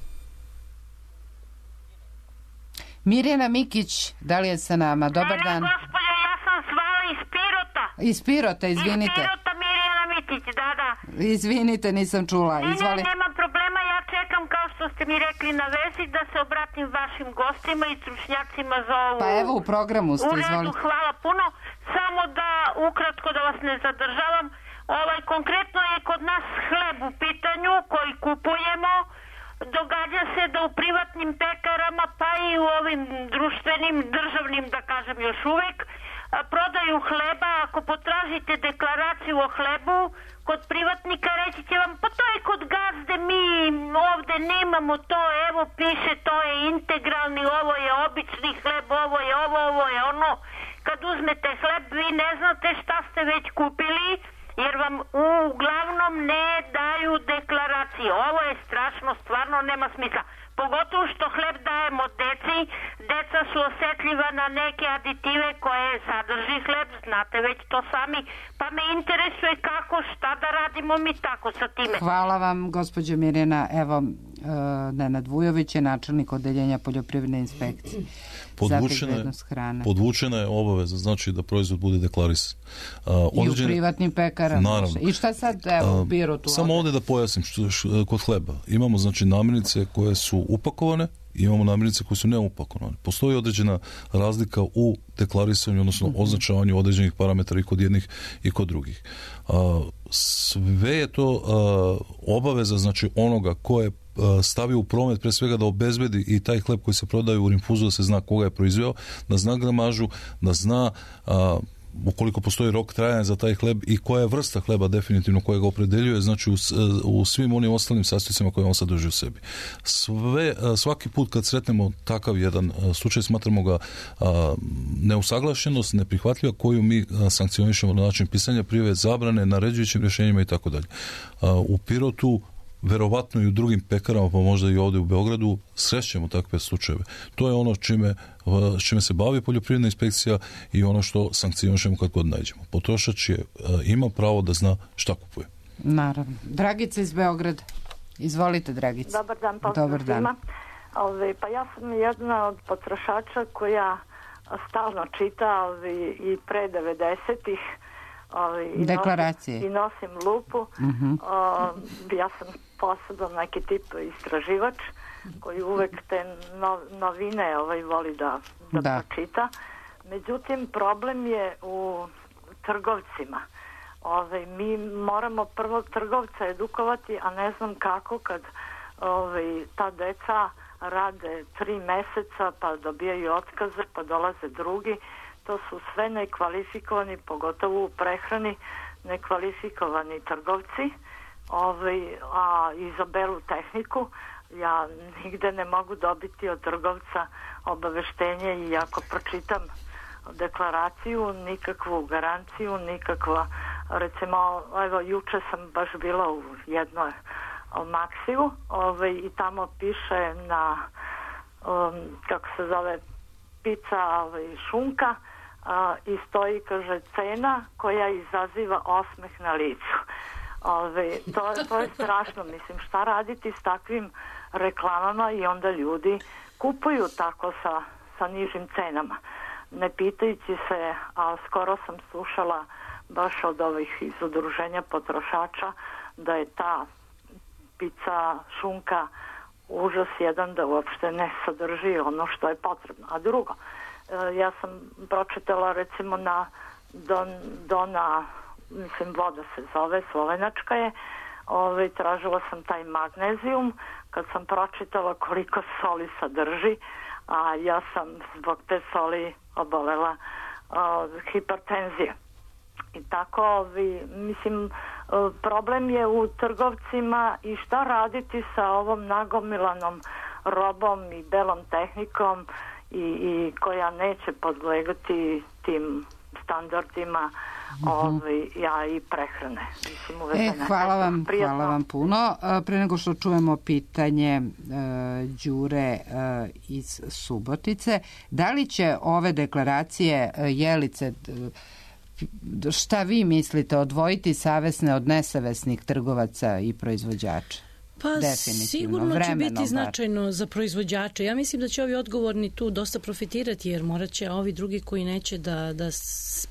B: Mirjana Mikić, da li je sa nama? Dobar dan.
N: Ne, gospođo, ja sam zvala iz Pirota.
B: Iz Pirota, izvinite.
N: Iz Pirota, Mirjana Mikić, da, da.
B: Izvinite, nisam čula. Izvoli.
N: Ne, ne, nema problema, ja čekam, kao što ste mi rekli na vezi, da se obratim vašim gostima i stručnjacima za ovu...
B: Pa evo, u programu ste, izvoli.
N: U redu, hvala puno. Samo da, ukratko da vas ne zadržavam, ovaj, konkretno je kod nas hleb u pitanju koji kupujemo. Događa se da u privatnim pekarama, pa i u ovim društvenim, državnim, da kažem još uvek, prodaju hleba. Ako potražite deklaraciju o hlebu kod privatnika, reći će vam, pa to je kod gazde, mi ovde nemamo to, evo piše, to je integralni, ovo je obični hleb, ovo je ovo, ovo je ono. Kad uzmete hleb, vi ne znate šta ste već kupili, jer vam uglavnom ne daju deklaracije. Ovo je strašno, stvarno nema smisla. Pogotovo što hleb dajemo deci, deca su osetljiva na neke aditive koje sadrži hleb, znate već to sami, pa me interesuje kako, šta da radimo mi tako sa time.
B: Hvala vam, gospođo Mirjana. Evo, Nenad Vujović je načelnik odeljenja poljoprivredne inspekcije.
D: Podvučena, podvučena je obaveza, znači da proizvod bude deklarisan. Uh, određene,
B: I u privatnim pekarama.
D: Naravno.
B: I šta sad, evo, uh, biro tu?
D: Samo ovde da pojasnim, što, što, kod hleba imamo znači namirnice koje su upakovane, imamo namirnice koje su neupakovane. Postoji određena razlika u deklarisanju, odnosno uh-huh. označavanju određenih parametara i kod jednih i kod drugih. Uh, sve je to uh, obaveza, znači onoga ko je stavio u promet, pre svega da obezbedi i taj hleb koji se prodaje u rinfuzu, da se zna koga je proizveo, da zna gramažu, da zna a, ukoliko postoji rok trajanja za taj hleb i koja je vrsta hleba definitivno koja ga opredeljuje, znači u, u svim onim ostalim sastojcima koje on sadrži u sebi. Sve, svaki put kad sretnemo takav jedan slučaj, smatramo ga a, neusaglašenost, neprihvatljiva, koju mi a, sankcionišemo na način pisanja prijave, zabrane, naređujućim rješenjima i tako dalje. U Pirotu, verovatno i u drugim pekarama, pa možda i ovdje u Beogradu, srećemo takve slučajeve. To je ono čime, čime se bavi poljoprivredna inspekcija i ono što sankcionišemo kad god nađemo. Potrošač je, ima pravo da zna šta kupuje.
B: Naravno. Dragica iz Beograda. Izvolite, Dragica.
O: Dobar dan, pozdrav svima. Ove, pa ja sam jedna od potrošača koja stalno čita ove, i pre devedesetih i
B: deklaracije.
O: Nosim, i nosim lupu.
B: Uh-huh.
O: O, ja sam posebno neki tip istraživač koji uvek te no, novine ovaj, voli da, da, da pročita. Međutim, problem je u trgovcima. Ove, mi moramo prvo trgovca edukovati, a ne znam kako kad ove, ta deca rade tri meseca pa dobijaju otkaze pa dolaze drugi. To su sve nekvalifikovani, pogotovo u prehrani, nekvalifikovani trgovci, ovaj, a izaberu tehniku. Ja nigde ne mogu dobiti od trgovca obaveštenje i ako pročitam deklaraciju, nikakvu garanciju, nikakva, recimo, evo, juče sam baš bila u jednoj Maksiju, ovaj, i tamo piše na, um, kako se zove, pizza, ovaj, šunka, a, i stoji, kaže, cena koja izaziva osmeh na licu. Ove, to, to je strašno. Mislim, šta raditi s takvim reklamama i onda ljudi kupuju tako sa, sa nižim cenama. Ne pitajući se, a skoro sam slušala baš od ovih iz udruženja potrošača da je ta pizza, šunka užas jedan, da uopšte ne sadrži ono što je potrebno. A drugo, ja sam pročitala recimo na Don, Dona, mislim voda se zove, slovenačka je, ove, tražila sam taj magnezijum, kad sam pročitala koliko soli sadrži, a ja sam zbog te soli obolela o, hipertenzije. I tako, ovi, mislim, problem je u trgovcima i šta raditi sa ovom nagomilanom robom i belom tehnikom i, i koja neće podlegati tim standardima mm-hmm. ovi, ja i prehrane. Mislim,
B: e, hvala vam, hvala vam puno. Pre nego što čujemo pitanje uh, Đure uh, iz Subotice, da li će ove deklaracije uh, Jelice, uh, šta vi mislite, odvojiti savesne od nesavesnih trgovaca i proizvođača?
F: Pa sigurno će biti bar značajno za proizvođače. Ja mislim da će ovi odgovorni tu dosta profitirati, jer morat će, a ovi drugi koji neće da, da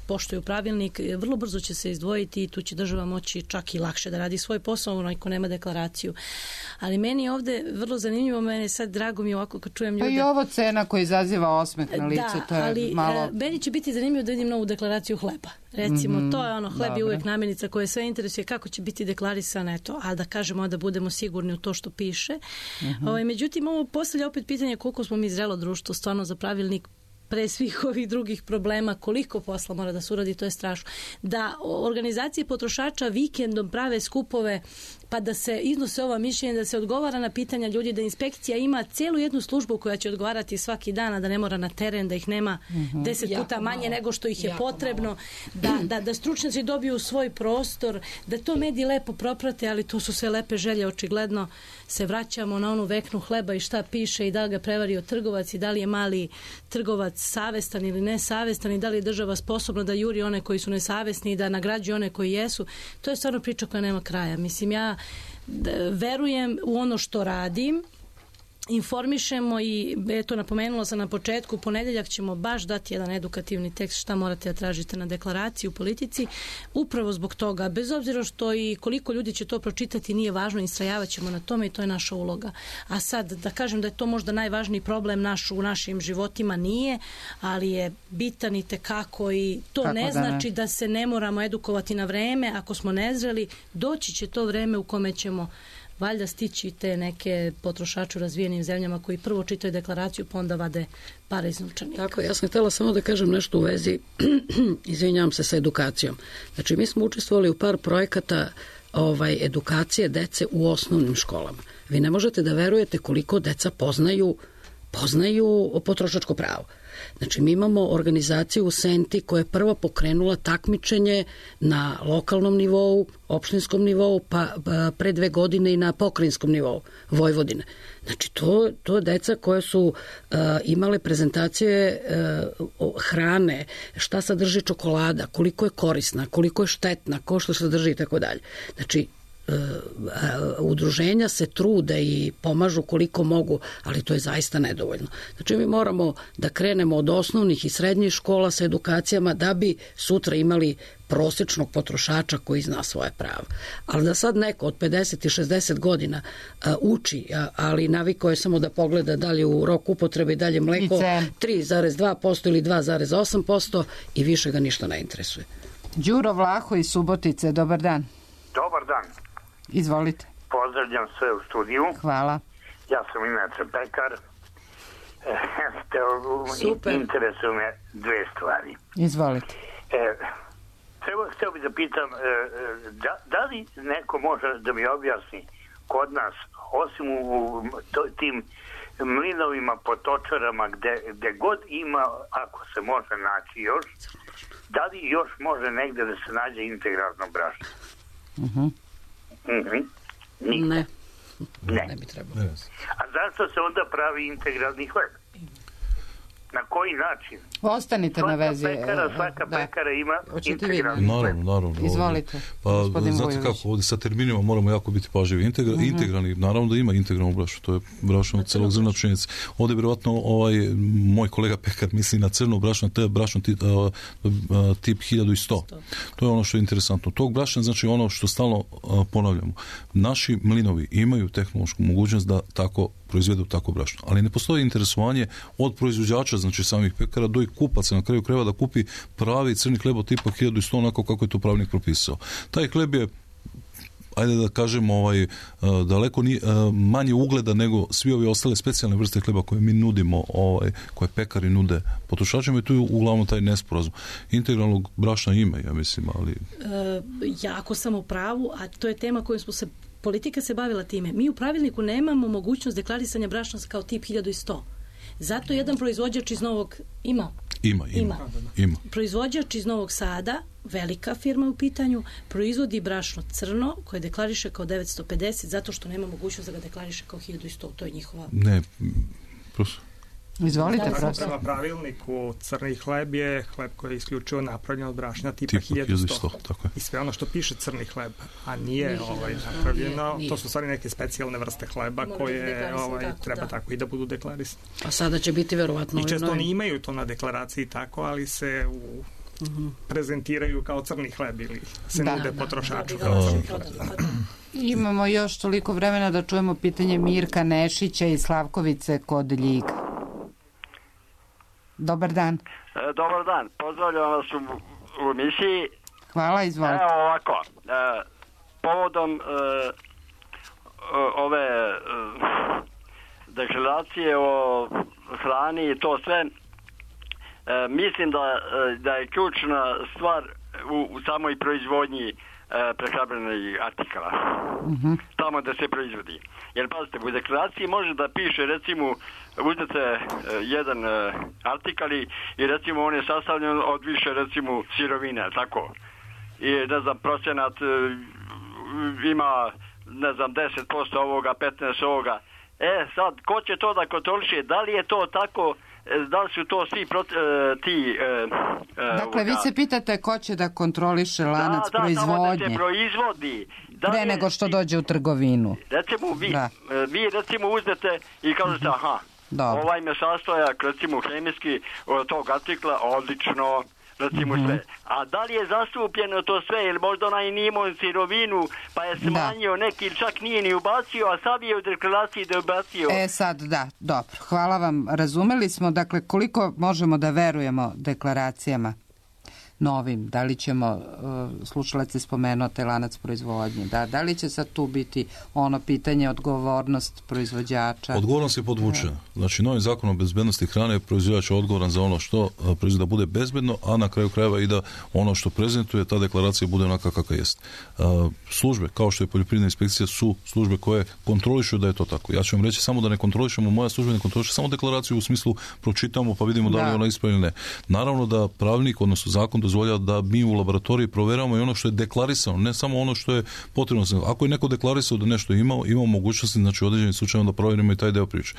F: poštuju pravilnik, vrlo brzo će se izdvojiti i tu će država moći čak i lakše da radi svoj posao, onaj ko nema deklaraciju. Ali meni je ovde vrlo zanimljivo, mene sad drago mi ovako kad čujem ljude.
B: Pa i ovo cena koja izaziva osmeh na lice,
F: da,
B: to je
F: ali,
B: malo...
F: meni će biti zanimljivo da vidim novu deklaraciju hleba. Recimo, mm-hmm, to je ono, hleb je uvijek namirnica koja sve interesuje, kako će biti deklarisana, eto, a da kažemo da budemo sigurni u to što piše. Mm-hmm. Ovaj, međutim, ovo postavlja opet pitanje koliko smo mi zrelo društvo stvarno za pravilnik pre svih ovih drugih problema, koliko posla mora da se uradi, to je strašno. Da organizacije potrošača vikendom prave skupove pa da se iznose ova mišljenja, da se odgovara na pitanja ljudi, da inspekcija ima cijelu jednu službu koja će odgovarati svaki dan, a da ne mora na teren, da ih nema mm-hmm. deset jako puta manje malo nego što ih je jako potrebno, da, da, da stručnjaci dobiju svoj prostor, da to mediji lepo proprate, ali to su sve lepe želje, očigledno se vraćamo na onu veknu hleba i šta piše i da li ga prevario trgovac i da li je mali trgovac savestan ili nesavestan i da li je država sposobna da juri one koji su nesavesni i da nagrađuje one koji jesu. To je stvarno priča koja nema kraja. Mislim, ja verujem u ono što radim, informišemo i eto napomenula sam na početku, u ponedeljak ćemo baš dati jedan edukativni tekst šta morate da tražite na deklaraciji u politici, upravo zbog toga, bez obzira što i koliko ljudi će to pročitati nije važno, istrajavat ćemo na tome i to je naša uloga. A sad da kažem da je to možda najvažniji problem naš u našim životima, nije, ali je bitan i tekako i to kako ne znači da, ne? da se ne moramo edukovati na vreme, ako smo nezreli, doći će to vreme u kome ćemo valjda stići te neke potrošače u razvijenim zemljama koji prvo čitaju deklaraciju pa onda vade pare iz novčanika.
C: Tako, ja sam htjela samo da kažem nešto u vezi, izvinjavam se, sa edukacijom. Znači, mi smo učestvovali u par projekata ovaj, edukacije dece u osnovnim školama. Vi ne možete da verujete koliko deca poznaju, poznaju potrošačko pravo. Znači, mi imamo organizaciju u Senti koja je prva pokrenula takmičenje na lokalnom nivou, opštinskom nivou, pa pre dve godine i na pokrajinskom nivou Vojvodine. Znači, to, to je deca koje su uh, imale prezentacije uh, hrane, šta sadrži čokolada, koliko je korisna, koliko je štetna, ko što sadrži i tako dalje. Znači, udruženja se trude i pomažu koliko mogu, ali to je zaista nedovoljno. Znači, mi moramo da krenemo od osnovnih i srednjih škola sa edukacijama da bi sutra imali prosječnog potrošača koji zna svoje pravo. Ali da sad neko od pedeset i šezdeset godina a, uči, a, ali navikao je samo da pogleda da li u rok upotrebe i dalje mleko tri zarez dva posto ili dva zarez osam posto i više ga ništa ne interesuje.
B: Đuro Vlaho iz Subotice, dobar dan.
P: Dobar dan.
B: Izvolite.
P: Pozdravljam sve u studiju.
B: Hvala.
P: Ja sam inače pekar.
C: Super.
P: Interesuju me dve stvari.
B: Izvolite.
P: E, treba, htio bih da pitam, e, da, da li neko može da mi objasni kod nas, osim u, u to, tim mlinovima, potočarama, gde, gde god ima, ako se može naći još, da li još može negde da se nađe integralno brašno?
B: Mhm.
P: Mm-hmm.
C: Ne.
P: Ne.
C: Ne bi trebalo.
P: A zašto se onda pravi integralni hleb? Na koji način?
B: Ostanite na vezi.
P: Svaka pekara, svaka
B: da.
P: pekara ima
B: Hoćete
P: integralni
B: vi?
P: hleb.
D: Naravno, naravno.
B: Izvolite.
D: Pa, znate kako, ovdje sa terminima moramo jako biti pažljivi. Integra, uh-huh. Integralni, naravno da ima integralno brašno, to je brašno od celog zrna pšenice. Ovdje vjerovatno ovaj, moj kolega pekar misli na crno brašno, to je brašno tip, uh, uh, tip hiljadu sto. To je ono što je interesantno. Tog brašna, znači ono što stalno uh, ponavljamo. Naši mlinovi imaju tehnološku mogućnost da tako proizvedu tako brašno. Ali ne postoji interesovanje od proizvođača, znači samih pekara, do i kupaca na kraju krajeva da kupi pravi crni hleb od tipa hiljadu sto onako kako je to pravnik propisao. Taj hleb je, ajde da kažemo, ovaj, daleko ni, manje ugleda nego svi ovi ostale specijalne vrste hleba koje mi nudimo, ovaj, koje pekari nude potrošačima i tu je uglavnom taj nesporazum. Integralnog brašna ima, ja mislim, ali...
F: E, jako sam u pravu, a to je tema kojom smo se politika se bavila time. Mi u pravilniku nemamo mogućnost deklarisanja brašna kao tip hiljadu sto. Zato jedan proizvođač iz Novog ima.
D: Ima, ima.
F: ima.
D: ima.
F: Proizvođač iz Novog Sada, velika firma u pitanju, proizvodi brašno crno koje deklariše kao devetsto pedeset zato što nema mogućnost da ga deklariše kao hiljadu sto. To je njihova...
D: Ne, prosto.
B: Izvolite,
E: da,
B: prosto.
E: Prema pravilniku crni hleb je hleb koji je isključivo napravljen od brašna tipa,
D: tipa
E: hiljadu sto.
D: Tako je.
E: I sve ono što piše crni hleb, a nije, nije ovaj, napravljeno, nije. To su stvari neke specijalne vrste hleba Mora koje ovaj, tako, treba da. tako i da budu deklarisane.
C: A sada će biti verovatno...
E: I često oni imaju to na deklaraciji tako, ali se u Uh-huh. prezentiraju kao crni hleb ili se da, nude da, potrošaču da, da, kao crni hleb.
B: Imamo još toliko vremena da čujemo pitanje Mirka Nešića iz Slavkovice kod Ljiga. Dobar dan.
Q: E, dobar dan, pozdravljam vas u, u emisiji.
B: Hvala, izvolite.
Q: Evo ovako, e, povodom e, ove e, deklaracije o hrani i to sve, E, mislim da, da je ključna stvar u, u samoj proizvodnji e, prehrambenih artikala.
B: Uh-huh.
Q: Tamo da se proizvodi. Jer pazite, u deklaraciji može da piše, recimo, uzmete e, jedan e, artikal i recimo on je sastavljen od više, recimo, sirovine, tako. I ne znam, procenat e, ima, ne znam, deset posto ovoga, petnaest posto ovoga. E, sad, ko će to da kontroliše? Da li je to tako? Da li su to svi proti, ti... E,
B: dakle, vi se pitate ko će da kontroliše lanac
Q: da, da,
B: proizvodnje.
Q: Da, da se proizvodi. Da
B: pre nego što dođe u trgovinu.
Q: Recimo, vi, da. vi recimo uzmete i kažete, aha,
B: Dobro.
Q: ovaj me sastojak, recimo, hemijski od tog artikla, odlično, recimo mm-hmm. sve. A da li je zastupljeno to sve, ili možda onaj nije imao sirovinu, pa je smanjio da. neki, čak nije ni ubacio, a sad je u deklaraciji da je ubacio.
B: E sad, da, dobro. Hvala vam. Razumeli smo, dakle, koliko možemo da verujemo deklaracijama. novim? Da li ćemo, slušalac je spomenuo taj lanac proizvodnje, da, da li će sad tu biti ono pitanje odgovornost proizvođača?
D: Odgovornost je podvučena. Znači, novim zakonom o bezbednosti hrane proizvođač je odgovoran za ono što proizvodi da bude bezbedno, a na kraju krajeva i da ono što prezentuje, ta deklaracija bude onaka kakva jest. Službe, kao što je poljoprivredna inspekcija, su službe koje kontrolišu da je to tako. Ja ću vam reći samo da ne kontrolišemo, moja služba ne kontroliše samo deklaraciju u smislu pročitamo pa vidimo da li je ona ispravna ili ne. Naravno da pravilnik, odnosno zakon dozvoljava da mi u laboratoriji proveramo i ono što je deklarisano, ne samo ono što je potrebno. Ako je neko deklarisao da nešto imao, imamo mogućnosti, znači u određenim slučajevima da provjerimo i taj deo priče.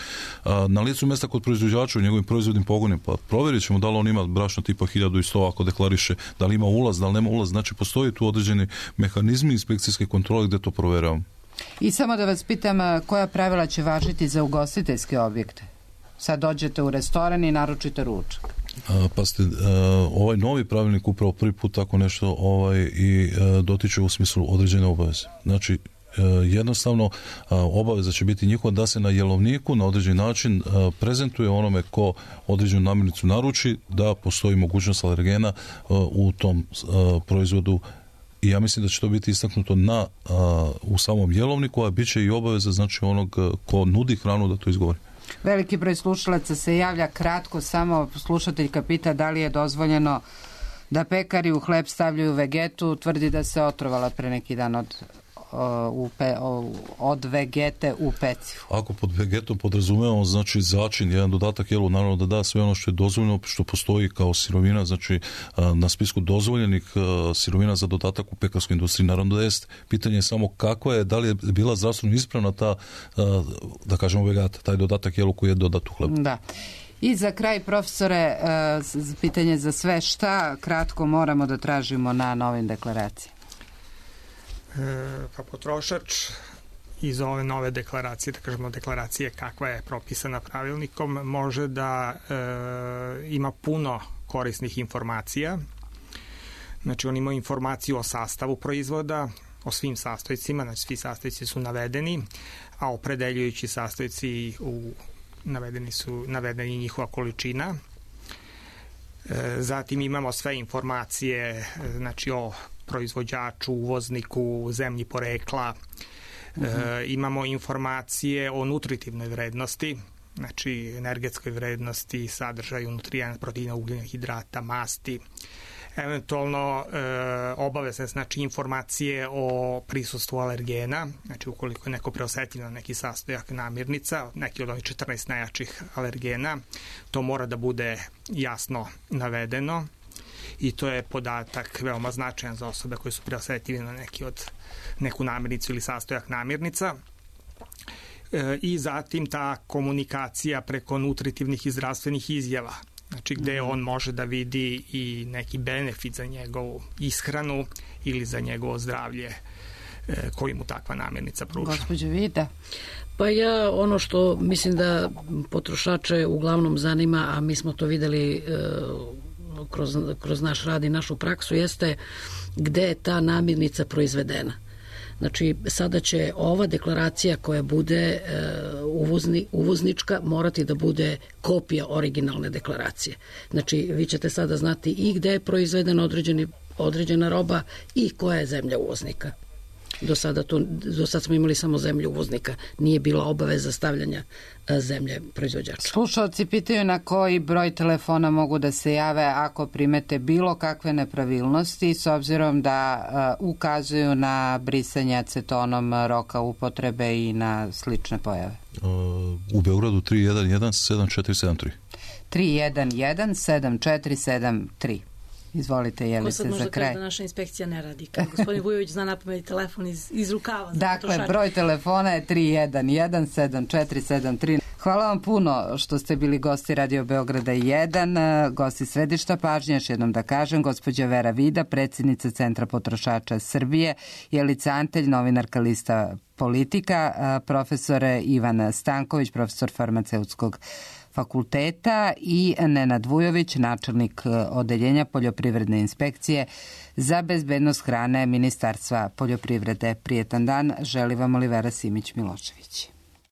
D: Na licu mjesta kod proizvođača u njegovim proizvodnim pogonima, pa provjerit ćemo da li on ima brašno tipa hiljadu sto ako deklariše, da li ima ulaz, da li nema ulaz, znači postoji tu određeni mehanizmi inspekcijske kontrole gdje to provjeravamo.
B: I samo da vas pitam, koja pravila će važiti za ugostiteljske objekte? Sad dođete u restoran i naručite ručak.
D: Pa ste, ovaj novi pravilnik upravo prvi put tako nešto ovaj, i dotiče u smislu određene obaveze. Znači, jednostavno obaveza će biti njihova da se na jelovniku na određeni način prezentuje onome ko određenu namirnicu naruči, da postoji mogućnost alergena u tom proizvodu. I ja mislim da će to biti istaknuto na, u samom jelovniku, a bit će i obaveza znači onog ko nudi hranu da to izgovori.
B: Veliki broj slušalaca se javlja kratko, samo slušateljka pita da li je dozvoljeno da pekari u hleb stavljaju vegetu, tvrdi da se otrovala pre neki dan od, u pe, od vegete u pecivu.
D: Ako pod vegetom podrazumevamo znači začin, jedan dodatak jelu, naravno da da sve ono što je dozvoljeno, što postoji kao sirovina, znači na spisku dozvoljenih sirovina za dodatak u pekarskoj industriji, naravno da jest. Pitanje je samo kakva je, da li je bila zdravstveno ispravna ta, da kažemo vegata, taj dodatak jelu koji je dodat u hlebu.
B: Da. I za kraj, profesore, pitanje za sve, šta kratko moramo da tražimo na novim deklaracijama?
E: Pa potrošač iz ove nove deklaracije, da kažemo deklaracije kakva je propisana pravilnikom, može da e, ima puno korisnih informacija. Znači on ima informaciju o sastavu proizvoda, o svim sastojcima, znači svi sastojci su navedeni, a opredeljujući sastojci u, navedeni su navedeni njihova količina. E, zatim imamo sve informacije znači o proizvođaču, uvozniku, zemlji porekla. Uh-huh. E, imamo informacije o nutritivnoj vrednosti, znači energetskoj vrednosti, sadržaju nutrijenata, proteina, ugljena, hidrata, masti. Eventualno e, obavezne znači informacije o prisustvu alergena, znači ukoliko je neko preosetljiv na neki sastojak namirnica, neki od onih četrnaest najjačih alergena, to mora da bude jasno navedeno. I to je podatak veoma značajan za osobe koje su preosetljive na neki od, neku namirnicu ili sastojak namirnica. E, I zatim ta komunikacija preko nutritivnih i zdravstvenih izjava, znači gde on može da vidi i neki benefit za njegovu ishranu ili za njegovo zdravlje e, koji mu takva namirnica pruža.
B: Gospođo Vida.
C: Pa ja ono što mislim da potrošače uglavnom zanima, a mi smo to videli e, Kroz, kroz naš rad i našu praksu, jeste gde je ta namirnica proizvedena. Znači, sada će ova deklaracija koja bude e, uvozni, uvoznička morati da bude kopija originalne deklaracije. Znači, vi ćete sada znati i gde je proizvedena određeni, određena roba i koja je zemlja uvoznika. Do sada, to, do sada smo imali samo zemlju uvoznika. Nije bila obaveza stavljanja zemlje proizvođača.
B: Slušalci pitaju na koji broj telefona mogu da se jave ako primete bilo kakve nepravilnosti, s obzirom da uh, ukazuju na brisanje acetonom roka upotrebe i na slične pojave.
D: Uh, u Beogradu tri jedan jedan sedam četiri sedam tri.
B: tri jedan jedan sedam četiri sedam tri. Izvolite, je li se za kraj? Ko sad možda kaže
F: da naša inspekcija ne radi? Kad gospodin Vujović zna napamet telefon iz, iz rukava.
B: Dakle, broj telefona je tri jedan jedan sedam četiri sedam tri. Hvala vam puno što ste bili gosti Radio Beograda jedan, gosti središta pažnje, još jednom da kažem, gospođa Vera Vida, predsjednica Centra potrošača Srbije, Jelica Antelj, novinarka lista Politika, profesor Ivan Stanković, profesor farmaceutskog fakulteta i Nenad Vujović, načelnik odeljenja poljoprivredne inspekcije za bezbednost hrane Ministarstva poljoprivrede. Prijetan dan, želi vam Olivera Simić Milošević.